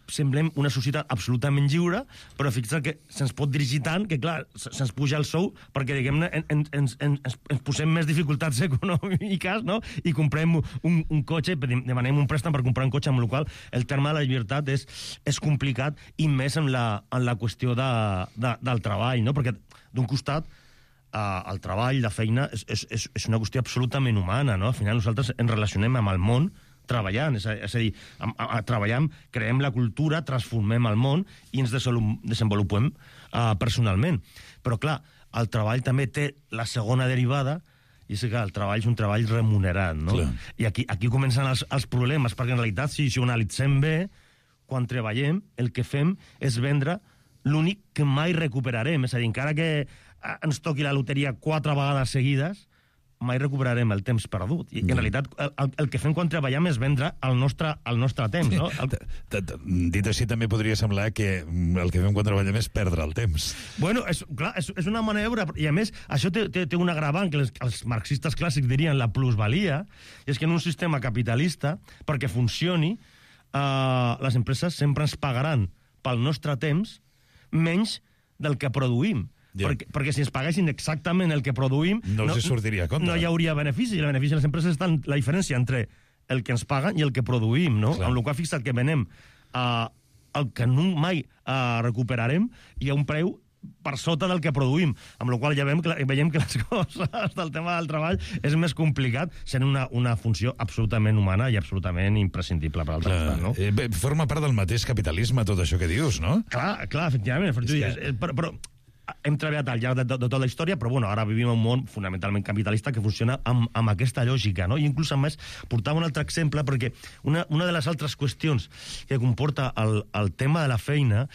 semblem una societat absolutament lliure, però fixa't que se'ns pot dirigir tant que, clar, se'ns puja el sou perquè, diguem-ne, ens posem més dificultats econòmiques, no? I comprem un cotxe, demanem un préstec per comprar un cotxe, amb el qual el terme de la llibertat és complicat i més en la qüestió del treball, no? Perquè, d'un costat, el treball, la feina, és una qüestió absolutament humana, no? Al final nosaltres ens relacionem amb el món treballant, és a dir, treballem, creem la cultura, transformem el món i ens desenvolupem personalment. Però, clar, el treball també té la segona derivada, i és que el treball és un treball remunerat, no? Clar. I aquí comencen els problemes, perquè en realitat, si ho analitzem bé, quan treballem, el que fem és vendre l'únic que mai recuperarem. És a dir, encara que ens toqui la loteria 4 vegades seguides, mai recuperarem el temps perdut. I en realitat el que fem quan treballem és vendre el nostre temps, no? Dit així també podria semblar que el que fem quan treballem és perdre el temps. Bueno, clar, és una maniobra, i a més això té un agravant que els marxistes clàssics dirien la plusvalia, i és que en un sistema capitalista, perquè funcioni, les empreses sempre ens pagaran pel nostre temps menys del que produïm. Perquè si ens paguessin exactament el que produïm no els sortiria a compte. No hi hauria benefici. El benefici de les empreses està en la diferència entre el que ens paguen i el que produïm, no? Amb la qual fixa't que venem el que mai recuperarem i a un preu per sota del que produïm, amb la qual ja veiem que les coses del tema del treball és més complicat, sent una funció absolutament humana i absolutament imprescindible per altre costat, no? Forma part del mateix capitalisme tot això que dius, no? Clar, efectivament. Però hem treballat al llarg de tota la història, però bueno, ara vivim en un món fonamentalment capitalista que funciona amb aquesta lògica, no? I inclús, a més, portava un altre exemple, perquè una de les altres qüestions que comporta el tema de la feina,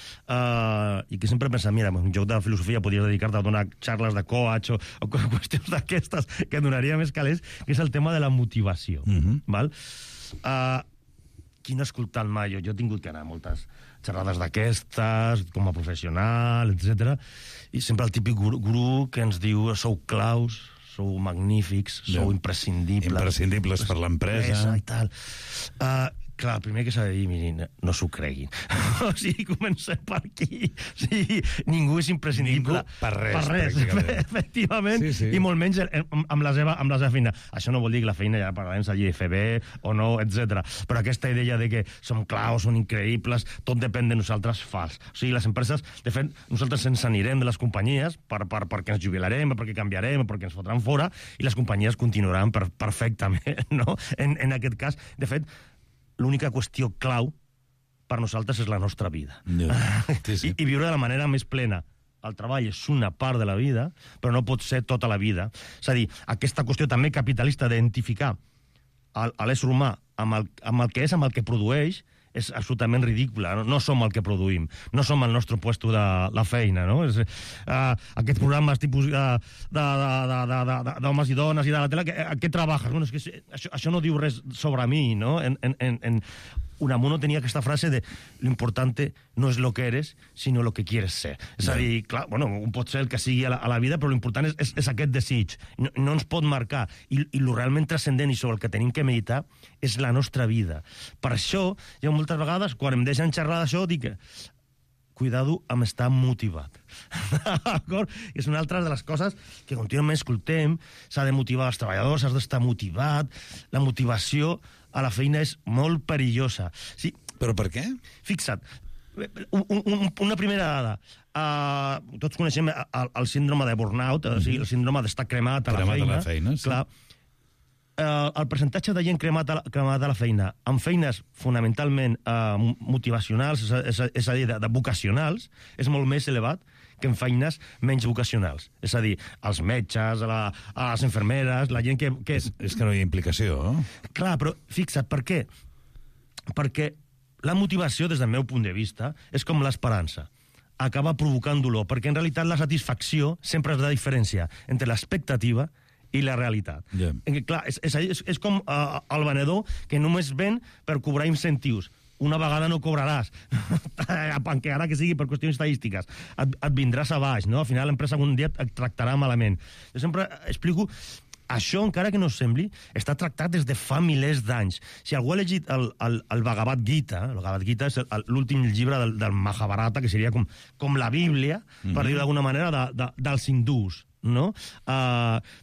i que sempre pensa, mira, en joc de filosofia podries dedicar-te a donar xarles de coach o qüestions d'aquestes que donaria més calés, que és el tema de la motivació. Val? Qui no ha escoltat mai? Jo he tingut que anar a moltes xerrades d'aquestes, com a professional, etc. I sempre el típic gurú que ens diu sou claus, sou magnífics, sou imprescindibles. Imprescindibles per l'empresa. I tal. Clar, el primer que s'ha de dir, mirin, no s'ho creguin. O sigui, comencem per aquí. O sigui, ningú és imprescindible. Ningú per res, efectivament, sí. I molt menys amb la seva feina. Això no vol dir que la feina ja parlarem s'hagi de fer bé o no, etc. Però aquesta idea de que som claus, són increïbles, tot depèn de nosaltres, fals. O sigui, les empreses, de fet, nosaltres ens anirem de les companyies perquè ens jubilarem, perquè canviarem, perquè ens fotran fora, i les companyies continuaran perfectament, no? En aquest cas, de fet, l'única qüestió clau per nosaltres és la nostra vida. Sí. I viure de la manera més plena. El treball és una part de la vida, però no pot ser tota la vida. És a dir, aquesta qüestió també capitalista d'identificar l'ésser humà amb el que és, amb el que produeix, és absolutament ridícula. No som el que produïm, no som el nostre puesto de la feina, no? Aquests programes tipus d'homes i dones i de la tele, a què treballes? Bueno, és que això no diu res sobre mi, no? Unamuno tenia aquesta frase de l'importante no és lo que eres, sinó lo que quieres ser. És a dir, clar, bueno, un pot ser el que sigui a la vida, però l'important és aquest desig. No ens pot marcar. I el realment transcendent i sobre el que tenim que meditar és la nostra vida. Per això, jo moltes vegades, quan em deixen xerrar d'això, dic que cuidado amb estar motivat. D'acord? És una altra de les coses que contínuament escoltem. S'ha de motivar els treballadors, has d'estar motivat. La motivació a la feina és molt perillosa. Sí. Però per què? Fixa't, una primera dada. Tots coneixem el síndrome de burnout, o sigui, el síndrome d'estar cremat a la feina. Sí. Clar, el percentatge de gent cremat a la feina amb feines fonamentalment motivacionals, és a dir, de vocacionals, és molt més elevat que en feines menys vocacionals. És a dir, els metges, les infermeres, la gent que... És que no hi ha implicació, no? Clar, però fixa't, per què? Perquè la motivació, des del meu punt de vista, és com l'esperança. Acaba provocant dolor, perquè en realitat la satisfacció sempre és la diferència entre l'expectativa i la realitat. Yeah. Clar, és com el venedor que només ven per cobrar incentius. Una vegada no cobraràs, encara que sigui per qüestions estadístiques. Et vindràs a baix, no? Al final l'empresa un dia et tractarà malament. Jo sempre explico, això, encara que no sembli, està tractat des de fa milers d'anys. Si algú ha llegit el Bhagavad Gita, el Bhagavad Gita és l'últim llibre del Mahabharata, que seria com la Bíblia, per dir-ho d'alguna manera, dels hindús, no?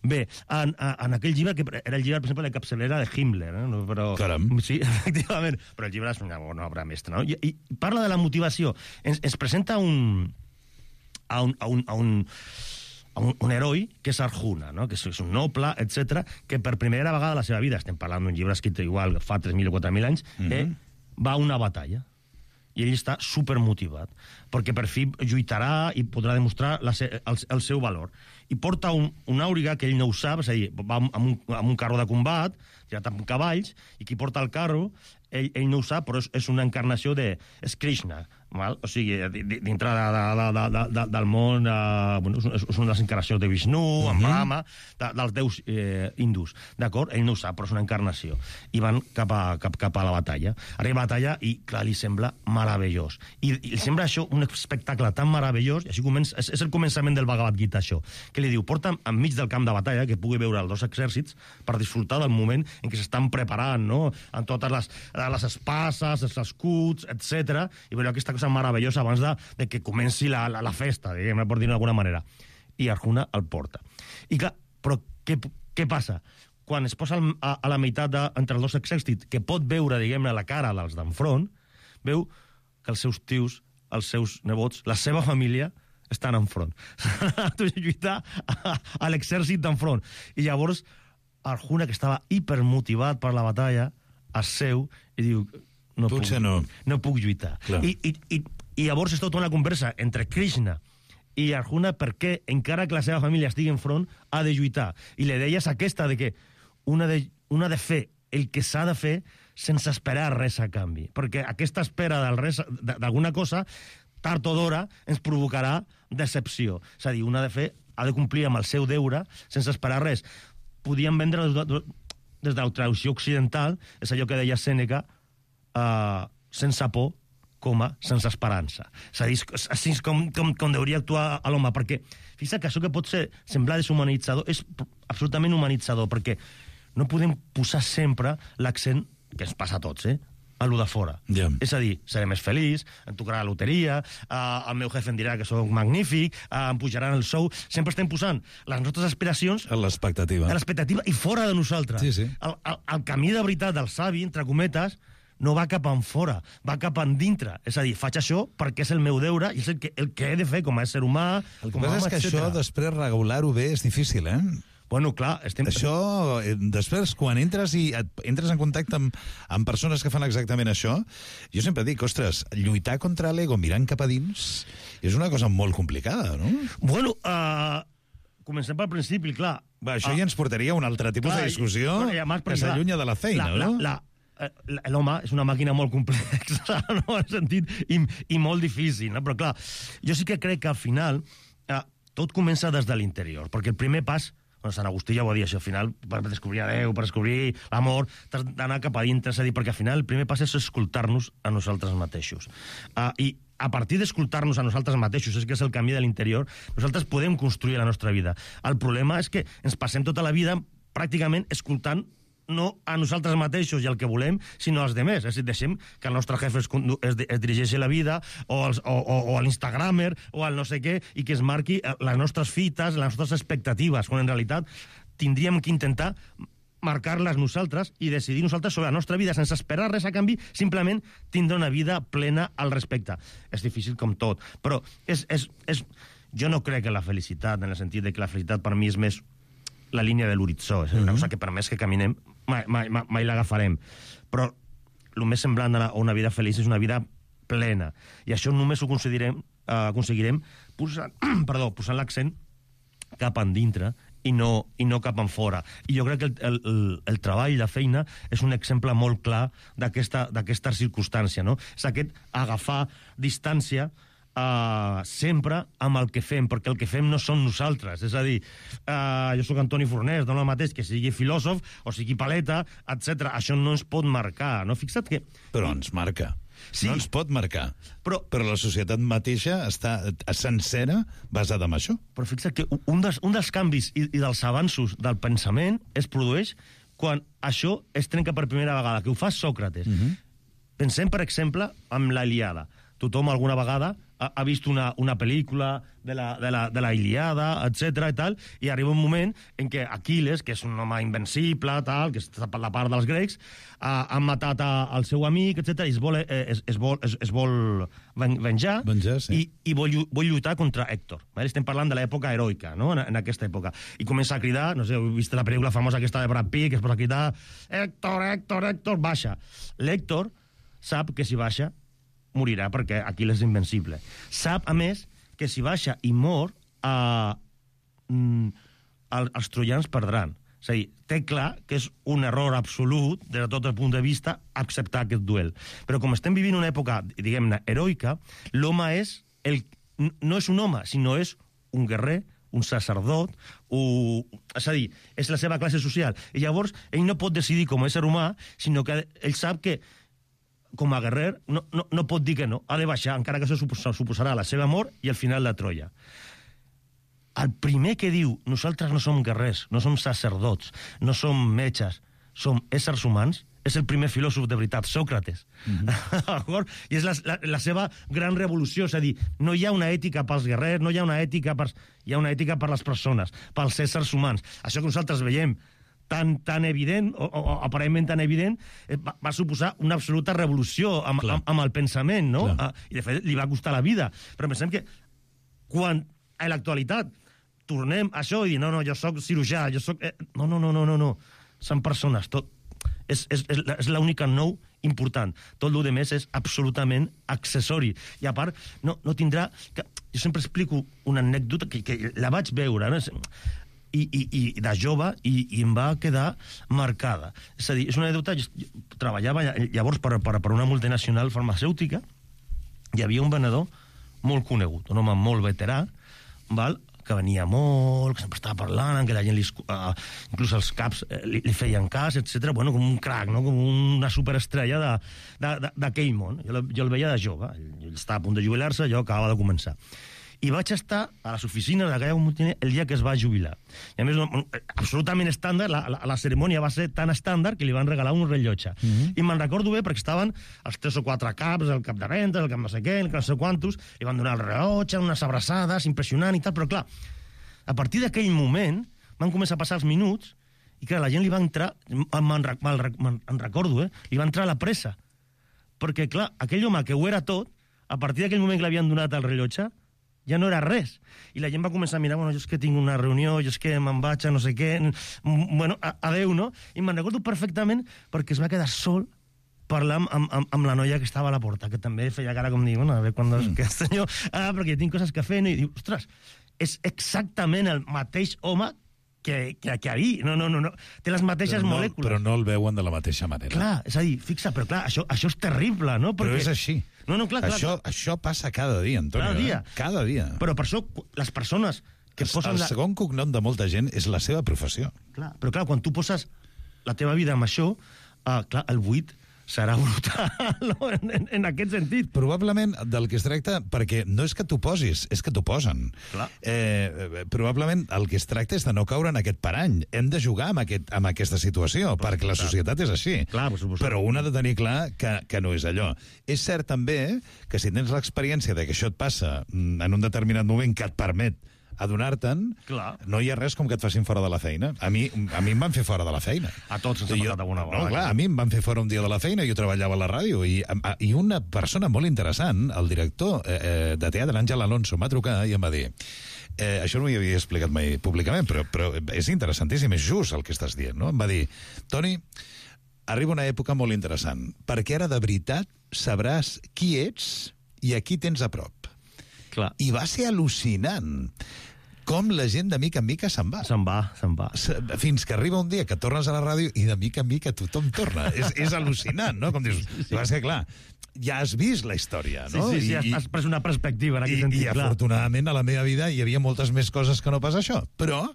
Bé, en aquell llibre, que era el llibre, per exemple, de capçalera de Himmler, no? Però, caram. Sí, efectivament, però el llibre és una obra mestra, no? I parla de la motivació. Ens presenta un heroi que és Arjuna, no? Que és un noble, etc, que per primera vegada a la seva vida, estem parlant d'un llibre escrit igual fa 3.000 o 4.000 anys, va a una batalla. I ell està supermotivat, perquè per fi lluitarà i podrà demostrar el seu valor. I porta un àuriga que ell no ho sap, és a dir, va amb un carro de combat, tirat amb cavalls, i qui porta el carro, ell no ho sap, però és una encarnació de... És Krishna, val? O sigui, dintre del món... Bueno, és una encarnació de Vishnu, amb Rama, dels déus hindús, d'acord? Ell no ho sap, però és una encarnació. I van cap a la batalla. Arriba a la batalla i, clar, li sembla meravellós. I li sembla això un espectacle tan meravellós, i així és el començament del Bhagavad Gita, això, que li diu, porta'm enmig del camp de batalla, que pugui veure els dos exèrcits, per disfrutar del moment en què s'estan preparant, no?, amb totes les espases, els escuts, etc. I veure aquesta cosa meravellosa abans de que comenci la festa, diguem-ne, per dir-ho d'alguna manera. I Arjuna el porta. I clar, però què passa? Quan es posa a la meitat entre els dos exèrcits, que pot veure, diguem-ne, la cara dels d'enfront, veu que els seus tios, els seus nebots, la seva família estan enfront. S'han de lluitar a l'exèrcit d'enfront. I llavors Arjuna, que estava hipermotivat per la batalla, es seu i diu, no puc lluitar. I llavors és tota una conversa entre Krishna i Arjuna perquè, encara que la seva família estigui enfront, ha de lluitar. I la idea és aquesta, de que una de fer el que s'ha de fer sense esperar res a canvi. Perquè aquesta espera d'alguna cosa, tard o d'hora, ens provocarà decepció. És a dir, una de fer ha de complir amb el seu deure sense esperar res. Podíem vendre des de la traducció occidental, és allò que deia Sèneca, sense por, sense esperança. És a dir, així és com hauria actuar a l'home, perquè fixa't que això que pot semblar deshumanitzador és absolutament humanitzador, perquè no podem posar sempre l'accent, que ens passa a tots, a lo de fora. Yeah. És a dir, seré més feliç, em tocarà la loteria, el meu jefe em dirà que soc magnífic, em pujaran el sou... Sempre estem posant les nostres aspiracions... A l'expectativa. A l'expectativa i fora de nosaltres. Sí, sí. El camí de veritat del savi, entre cometes, no va cap enfora, va cap endintre. És a dir, faig això perquè és el meu deure i és el que he de fer com a ésser humà, el que passa és que això, després, regular-ho bé és difícil, Bueno, clar, Això, després, quan entres en contacte amb persones que fan exactament això, jo sempre dic, ostres, lluitar contra l'ego mirant cap a dins és una cosa molt complicada, no? Bueno, comencem pel principi, clar. Això ja ens portaria a un altre tipus de discussió que s'allunya de la feina, no? L'home és una màquina molt complexa, no? En sentit, i molt difícil, no? Però clar, jo sí que crec que al final tot comença des de l'interior, perquè el primer pas, Sant Agustí ja ho va dir, això, al final, per descobrir a Déu, per descobrir l'amor, t'has d'anar cap a dintre, és a dir, perquè al final el primer pas és escoltar-nos a nosaltres mateixos. I a partir d'escoltar-nos a nosaltres mateixos, és que és el camí de l'interior, nosaltres podem construir la nostra vida. El problema és que ens passem tota la vida pràcticament escoltant no a nosaltres mateixos i el que volem, sinó als demés. És a dir, deixem que el nostre jefe es dirigeixi a la vida, o a l'Instagramer, o al no sé què, i que es marqui les nostres fites, les nostres expectatives, quan en realitat tindríem que intentar marcar-les nosaltres i decidir nosaltres sobre la nostra vida sense esperar res a canvi, simplement tindre una vida plena al respecte. És difícil com tot, però jo no crec en la felicitat, en el sentit de que la felicitat per mi és més la línia de l'horitzó, és una cosa que per més que caminem mai l'agafarem. Però el més semblant a una vida feliç és una vida plena. I això només ho aconseguirem posant l'accent cap endintre i no cap en fora. I jo crec que el treball, la feina, és un exemple molt clar d'aquesta circumstància, no? És aquest agafar distància sempre amb el que fem, perquè el que fem no som nosaltres. És a dir, jo sóc Antoni Fornés, no el mateix que sigui filòsof o sigui paleta, etc. Això no ens pot marcar, no? Fixa't que... Però ens marca. Sí. No ens pot marcar. Però la societat mateixa està sencera basada en això. Però fixa't que un dels canvis i dels avanços del pensament es produeix quan això es trenca per primera vegada, que ho fa Sòcrates. Pensem, per exemple, en la Ilíada. Tothom alguna vegada ha vist una pel·lícula de la Ilíada, etc. i tal, i arriba un moment en què Aquil·les, que és un home invencible, tal, que està per la part dels grecs, han matat el seu amic, etc. i es vol venjar, sí. i vol lluitar contra Hèctor. Estem parlant de l'època heroica, no? En aquesta època. I comença a cridar, no sé, heu vist la pel·lícula famosa aquesta de Brad Pitt, que es posa a cridar Hèctor, Hèctor, Hèctor, baixa. L'Hèctor sap que si baixa morirà, perquè Aquil·les és invencible. Sap, a més, que si baixa i mor, els troians perdran. És a dir, té clar que és un error absolut, des de tot el punt de vista, acceptar aquest duel. Però com estem vivint una època, diguem-ne, heroica, l'home no és un home, sinó és un guerrer, un sacerdot, és a dir, és la seva classe social. I llavors, ell no pot decidir com a ésser humà, sinó que ell sap que com a guerrer, no pot dir que no. Ha de baixar, encara que això suposarà la seva mort i el final de Troia. El primer que diu, nosaltres no som guerrers, no som sacerdots, no som metges, som éssers humans, és el primer filòsof de veritat, Sòcrates. I és la seva gran revolució, és a dir, no hi ha una ètica pels guerrers, no hi ha una ètica hi ha una ètica per les persones, pels éssers humans. Això que nosaltres veiem tan evident, o aparentment tan evident, va suposar una absoluta revolució amb el pensament, no? I de fet li va costar la vida. Però pensem que quan a l'actualitat tornem a això i dir, no, jo sóc cirurgià, jo sóc... No. Són persones, tot. És l'única nou important. Tot el més és absolutament accessori. I a part, no tindrà... Jo sempre explico una anècdota que la vaig veure, no? I de jove i em va quedar marcada. És a dir, és una anècdota... Jo treballava llavors per una multinacional farmacèutica, hi havia un venedor molt conegut, un home molt veterà, que venia molt, que sempre estava parlant, que la gent, inclús els caps li feien cas, etc. Bueno, com un crac, no? Com una superestrella d'aquell món. Jo el veia de jove, ell estava a punt de jubilar-se, jo acabava de començar. I vaig estar a les oficines d'aquella multinacional el dia que es va jubilar. I a més, absolutament estàndard, la cerimònia va ser tan estàndard que li van regalar un rellotge. I me'n recordo bé perquè estaven els 3 o 4 caps, el cap de vendes, el cap no sé què, el cap no sé quantos, i van donar el rellotge, unes abraçades, impressionant i tal, però clar, a partir d'aquell moment van començar a passar els minuts i clar, la gent li va entrar, me'n recordo, li va entrar a la pressa. Perquè clar, aquell home que ho era tot, a partir d'aquell moment que l'havien donat el rellotge, ja no era res. I la gent va començar a mirar, bueno, jo és que tinc una reunió, jo és que me'n vaig a no sé què, bueno, adeu, no? I me'n recordo perfectament perquè es va quedar sol parlant amb la noia que estava a la porta, que també feia cara com dir, bueno, a veure quan que senyor, perquè tinc coses que fer, no? I diu, ostres, és exactament el mateix home que ahir. No. Té les mateixes molècules. Però no el veuen de la mateixa manera. Clar, és a dir, fixa, però clar, això és terrible, no? Però és així. No, clar. Això passa cada dia, Antonio. Cada dia. Cada dia. Però per això, les persones que posen... El segon cognom de molta gent és la seva professió. Clar, però clar, quan tu poses la teva vida amb això, clar, el buit serà brutal, no? En aquest sentit. Probablement del que es tracta, perquè no és que t'ho posis, és que t'ho posen. Probablement el que es tracta és de no caure en aquest parany. Hem de jugar amb aquesta situació, perquè la societat és així. Clar, però un ha de tenir clar que no és allò. És cert també que si tens l'experiència de que això et passa en un determinat moment que et permet adonar-te'n, no hi ha res com que et facin fora de la feina. A mi em van fer fora de la feina. A tots ens ha passat alguna vegada. No, clar, a mi em van fer fora un dia de la feina, jo treballava a la ràdio, i una persona molt interessant, el director de teatre, Àngel Alonso, em va trucar i em va dir, això no m'hi havia explicat mai públicament, però és interessantíssim, és just el que estàs dient, no? Em va dir, Toni, arriba una època molt interessant, perquè ara de veritat sabràs qui ets i a qui tens a prop. Clar. I va ser al·lucinant com la gent de mica en mica se'n va. Se'n va. Fins que arriba un dia que tornes a la ràdio i de mica en mica tothom torna. És al·lucinant, no? Com dius, va ser clar, ja has vist la història, no? Sí, has pres una perspectiva en aquest sentit. I afortunadament a la meva vida hi havia moltes més coses que no pas això. Però,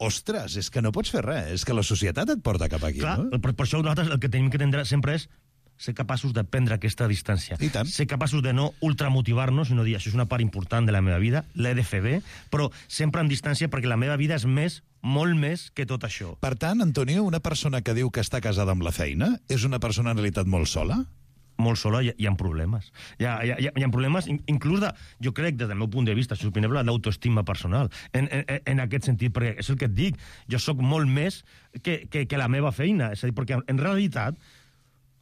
ostres, és que no pots fer res. És que la societat et porta cap aquí, clar, no? Per això nosaltres el que tenim que entendre sempre és ser capaços de prendre aquesta distància. I tant. Ser capaços de no ultramotivar-nos, sinó dir, això és una part important de la meva vida, l'he de fer bé, però sempre en distància, perquè la meva vida és més, molt més que tot això. Per tant, Antonio, una persona que diu que està casada amb la feina és una persona en realitat molt sola? Molt sola, hi ha problemes. Hi ha problemes, inclús jo crec, des del meu punt de vista, és opinable, l'autoestima personal. En aquest sentit, perquè és el que et dic, jo sóc molt més que la meva feina. És a dir, perquè en realitat,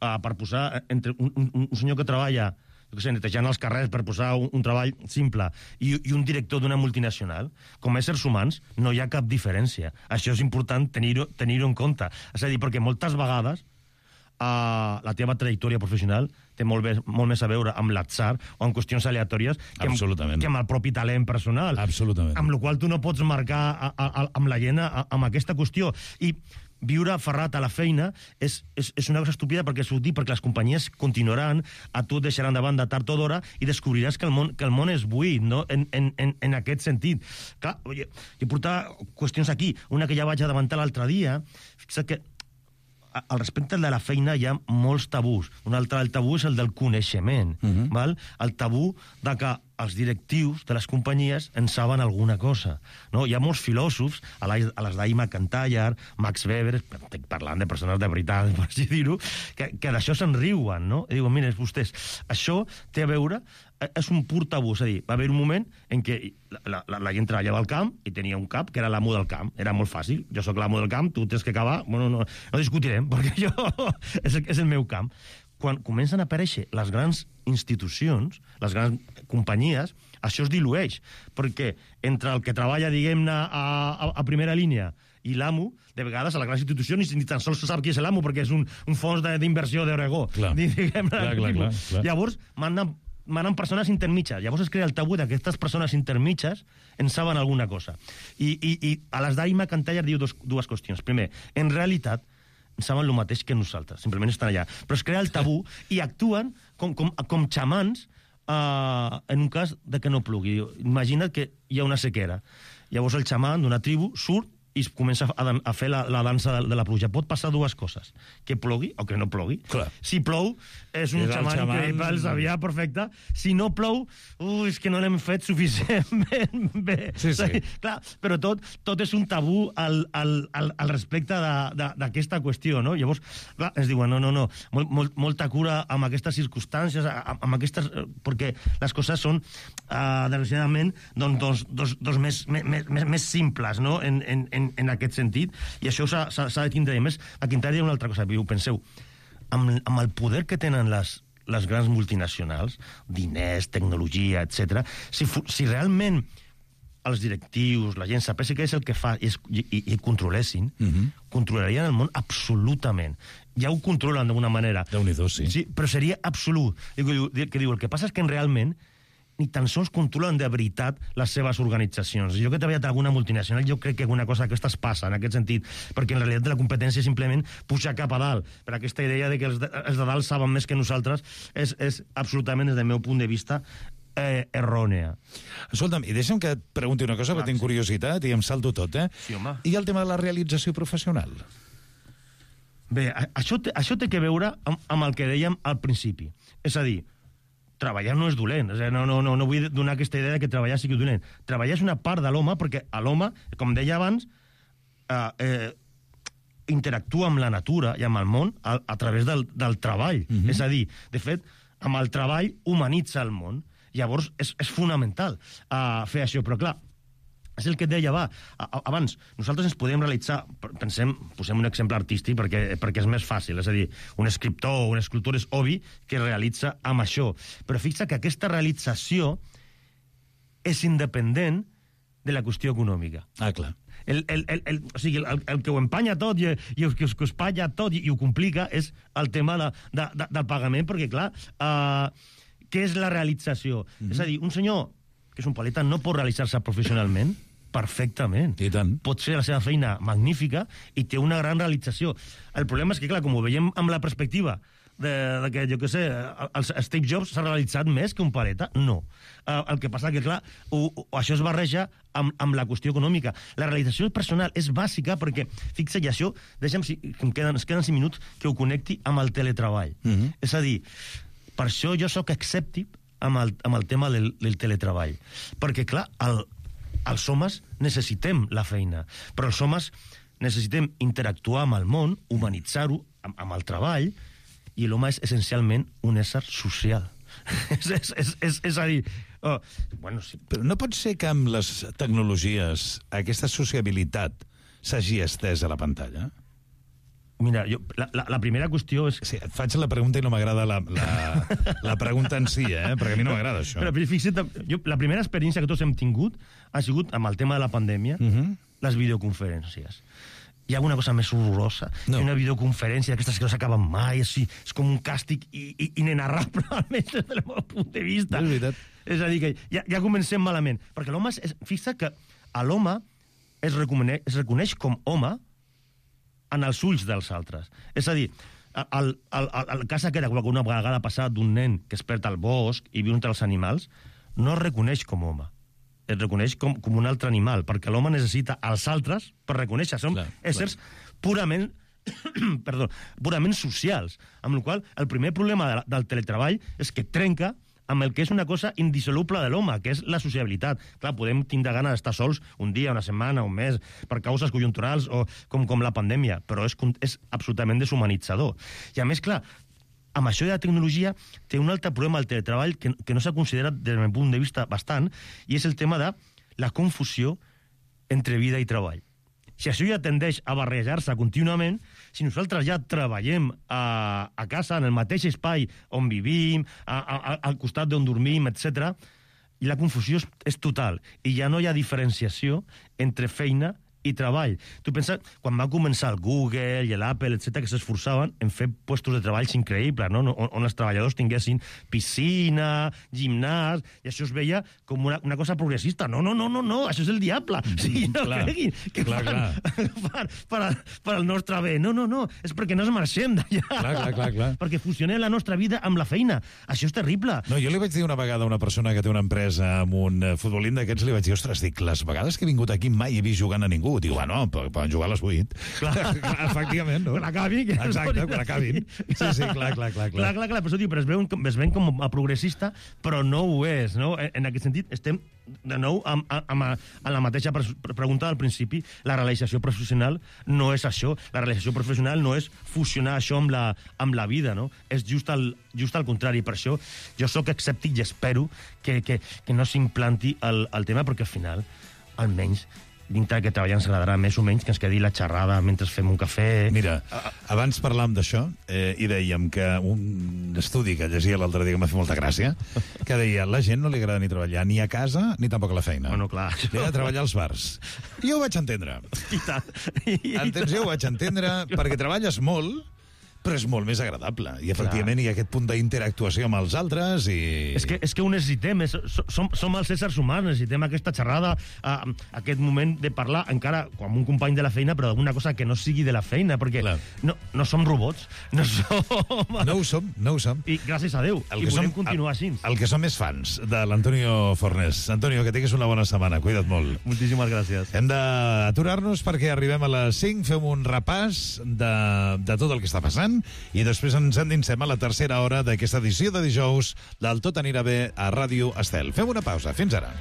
per posar entre un senyor que treballa netejant els carrers per posar un treball simple i un director d'una multinacional, com a éssers humans no hi ha cap diferència. Això és important tenir-ho en compte. És a dir, perquè moltes vegades la teva trajectòria professional té molt més a veure amb l'atzar o amb qüestions aleatòries que amb el propi talent personal. Absolutament. Amb la qual tu no pots marcar amb la gent amb aquesta qüestió. I viure aferrat a la feina és una cosa estúpida perquè les companyies continuaran, a tu et deixaran de banda tard o d'hora i descobriràs que el món és buit, no? En aquest sentit. Clar, jo portava qüestions aquí, una que ja vaig adelantar l'altre dia, fixa't que al respecte de la feina hi ha molts tabús. Un altre tabú és el del coneixement. Val? El tabú de que els directius de les companyies en saben alguna cosa. No? Hi ha molts filòsofs, a les d'Ai McIntyre, Max Weber, parlant de persones de veritat, per així dir-ho, que d'això se'n riuen, no? I diuen, mira, vostès, això té a veure, és un pur tabú, és a dir, va haver un moment en què la gent treballava al camp i tenia un cap que era l'amo del camp, era molt fàcil, jo sóc l'amo del camp, tu tens que acabar, bueno, no discutirem, perquè jo és el meu camp. Quan comencen a aparèixer les grans institucions, les grans companyies, això es dilueix, perquè entre el que treballa, diguem-ne, a primera línia i l'amo, de vegades a la gran institució ni tan sols se sap qui és l'amo, perquè és un fons d'inversió d'Oregó. Clar. Llavors, manen persones intermitges. Llavors es crea el tabú d'aquestes persones intermitges en saben alguna cosa. I a les d'Ai McIntyre diu dues qüestions. Primer, en realitat, saben el mateix que nosaltres, simplement estan allà. Però es crea el tabú i actuen com xamans en un cas de que no plugui. Imagina't que hi ha una sequera. Llavors el xaman d'una tribu surt i comença a fer la dansa de la pluja. Pot passar dues coses, que plogui o que no plogui. Clar. Si plou, és un xaman increïble, el sabia perfecte. Si no plou, és que no l'hem fet suficientment bé. Sí. Clar, però tot és un tabú al respecte d'aquesta qüestió, no? Llavors, clar, ens diuen, no, molta cura amb aquestes circumstàncies, amb aquestes... perquè les coses són, desgraciadament, dos més simples, no?, en aquest sentit, i això s'ha de tindre. A més, aquí entraria una altra cosa, penseu, amb el poder que tenen les les grans multinacionals, diners, tecnologia, etc. Si realment els directius, la gent sapés què és el que fa i controlessin, controlarien el món absolutament. Ja ho controlen d'alguna manera. Déu-n'hi-do, sí. Sí, però seria absolut. El que passa és que realment ni tan sols controlen de veritat les seves organitzacions. Jo que he treballat en alguna multinacional, jo crec que alguna cosa d'aquestes passa, en aquest sentit, perquè en realitat la competència és simplement pujar cap a dalt, per aquesta idea de que els de dalt saben més que nosaltres és absolutament, des del meu punt de vista, errònea. Escolta'm, i deixa'm que et pregunti una cosa, perquè tinc curiositat i em salto tot, Sí, home. I el tema de la realització professional? Bé, això té que veure amb el que dèiem al principi. És a dir, treballar no és dolent. No vull donar aquesta idea que treballar sigui dolent. Treballar és una part de l'home, perquè l'home, com deia abans, interactua amb la natura i amb el món a través del treball. És a dir, de fet, amb el treball humanitza el món. Llavors, és fonamental fer això. Però, clar, és el que et deia abans. Nosaltres ens podem realitzar, posem un exemple artístic perquè és més fàcil, és a dir, un escriptor o un escultor és obvi que realitza amb això. Però fixa que aquesta realització és independent de la qüestió econòmica. Clar. O sigui, el que ho empanya tot i el que ho espanya tot i ho complica és el tema del pagament, perquè, clar, què és la realització? És a dir, un senyor que és un paleta no pot realitzar-se professionalment perfectament. I tant. Pot fer la seva feina magnífica i té una gran realització. El problema és que, clar, com ho veiem amb la perspectiva de que, jo què sé, el Steve Jobs s'ha realitzat més que un paleta, no. El que passa que, clar, això es barreja amb la qüestió econòmica. La realització personal és bàsica perquè, fixa-hi, això, deixa'm, ens queden 5 minuts que ho connecti amb el teletreball. És a dir, per això jo sóc escèptic amb el tema del teletreball. Perquè, clar, els homes necessitem la feina, però els homes necessitem interactuar amb el món, humanitzar-ho amb el treball, i l'home és essencialment un ésser social. És a dir... sí. Però no pot ser que amb les tecnologies aquesta sociabilitat s'hagi estès a la pantalla? Mira, la primera qüestió és... Sí, et faig la pregunta i no m'agrada la pregunta en si, perquè a mi no m'agrada això. Però fixa't, la primera experiència que tots hem tingut ha sigut amb el tema de la pandèmia, les videoconferències. Hi ha alguna cosa més horrorosa que una videoconferència d'aquestes que no s'acaben mai, és com un càstig inenarrable, almenys des del meu punt de vista. És veritat. És a dir, que ja comencem malament. Perquè l'home, fixa que a l'home es reconeix com home en els ulls dels altres. És a dir, el cas aquest que una vegada ha passat d'un nen que es perd al bosc i viu entre els animals, no es reconeix com home. Es reconeix com un altre animal, perquè l'home necessita els altres per reconèixer. Som éssers purament socials. Amb la qual cosa, el primer problema del teletreball és que trenca amb el que és una cosa indissoluble de l'home, que és la sociabilitat. Clar, podem tindre gana d'estar sols un dia, una setmana, un mes, per causes conjunturals o com la pandèmia, però és absolutament deshumanitzador. I a més, clar, amb això de la tecnologia té un altre problema al teletreball que no s'ha considerat des del meu punt de vista bastant, i és el tema de la confusió entre vida i treball. Si això ja tendeix a barrejar-se contínuament, si nosaltres ja treballem a casa, en el mateix espai on vivim, al costat d'on dormim, etc., i la confusió és total, i ja no hi ha diferenciació entre feina i treball. Tu pensa, quan va començar el Google i l'Apple, etc., que s'esforçaven en fer puestos de treballs increïbles, no? On els treballadors tinguessin piscina, gimnàs, i això es veia com una cosa progressista. No, això és el diable. Sí, no creguin que fan per al nostre bé. No, és perquè no es marxem d'allà. Clar. Perquè fusionem la nostra vida amb la feina. Això és terrible. No, jo li vaig dir una vegada a una persona que té una empresa amb un futbolín d'aquests, li vaig dir, ostres, les vegades que he vingut aquí mai he vist jugant a ningú. Diu, bueno, poden jugar a les 8. Clar, efectivament, no? Quan acabin. Exacte, quan acabin. Sí, clar. Clar, però es ven com a progressista, però no ho és, no? En aquest sentit, estem de nou amb la mateixa pregunta del principi. La realització professional no és això. La realització professional no és fusionar això amb la vida, no? És just al contrari. Per això jo sóc escèptic i espero que no s'implanti el tema, perquè al final, almenys, dintre que treballem ens agradarà més o menys que ens quedi la xerrada mentre fem un cafè. Mira, abans parlàvem d'això i dèiem que un estudi que llegia l'altre dia que m'ha fet molta gràcia, que deia la gent no li agrada ni treballar ni a casa ni tampoc a la feina. Bueno, clar. Li ha de treballar als bars. I jo ho vaig entendre. Entens? Jo ho vaig entendre perquè treballes molt, però és molt més agradable. I, efectivament, hi ha aquest punt d'interactuació amb els altres i... És que ho necessitem. Som els éssers humans, necessitem aquesta xerrada, aquest moment de parlar, encara com un company de la feina, però d'alguna cosa que no sigui de la feina, perquè no som robots. No ho som. I gràcies a Déu. I volem continuar així. El que som és fans de l'Antonio Fornés. Antonio, que tinguis una bona setmana. Cuida't molt. Moltíssimes gràcies. Hem d'aturar-nos perquè arribem a les 5, fem un repàs de tot el que està passant i després ens endinsem a la tercera hora d'aquesta edició de dijous del Tot anirà bé a Ràdio Estel. Fem una pausa. Fins ara.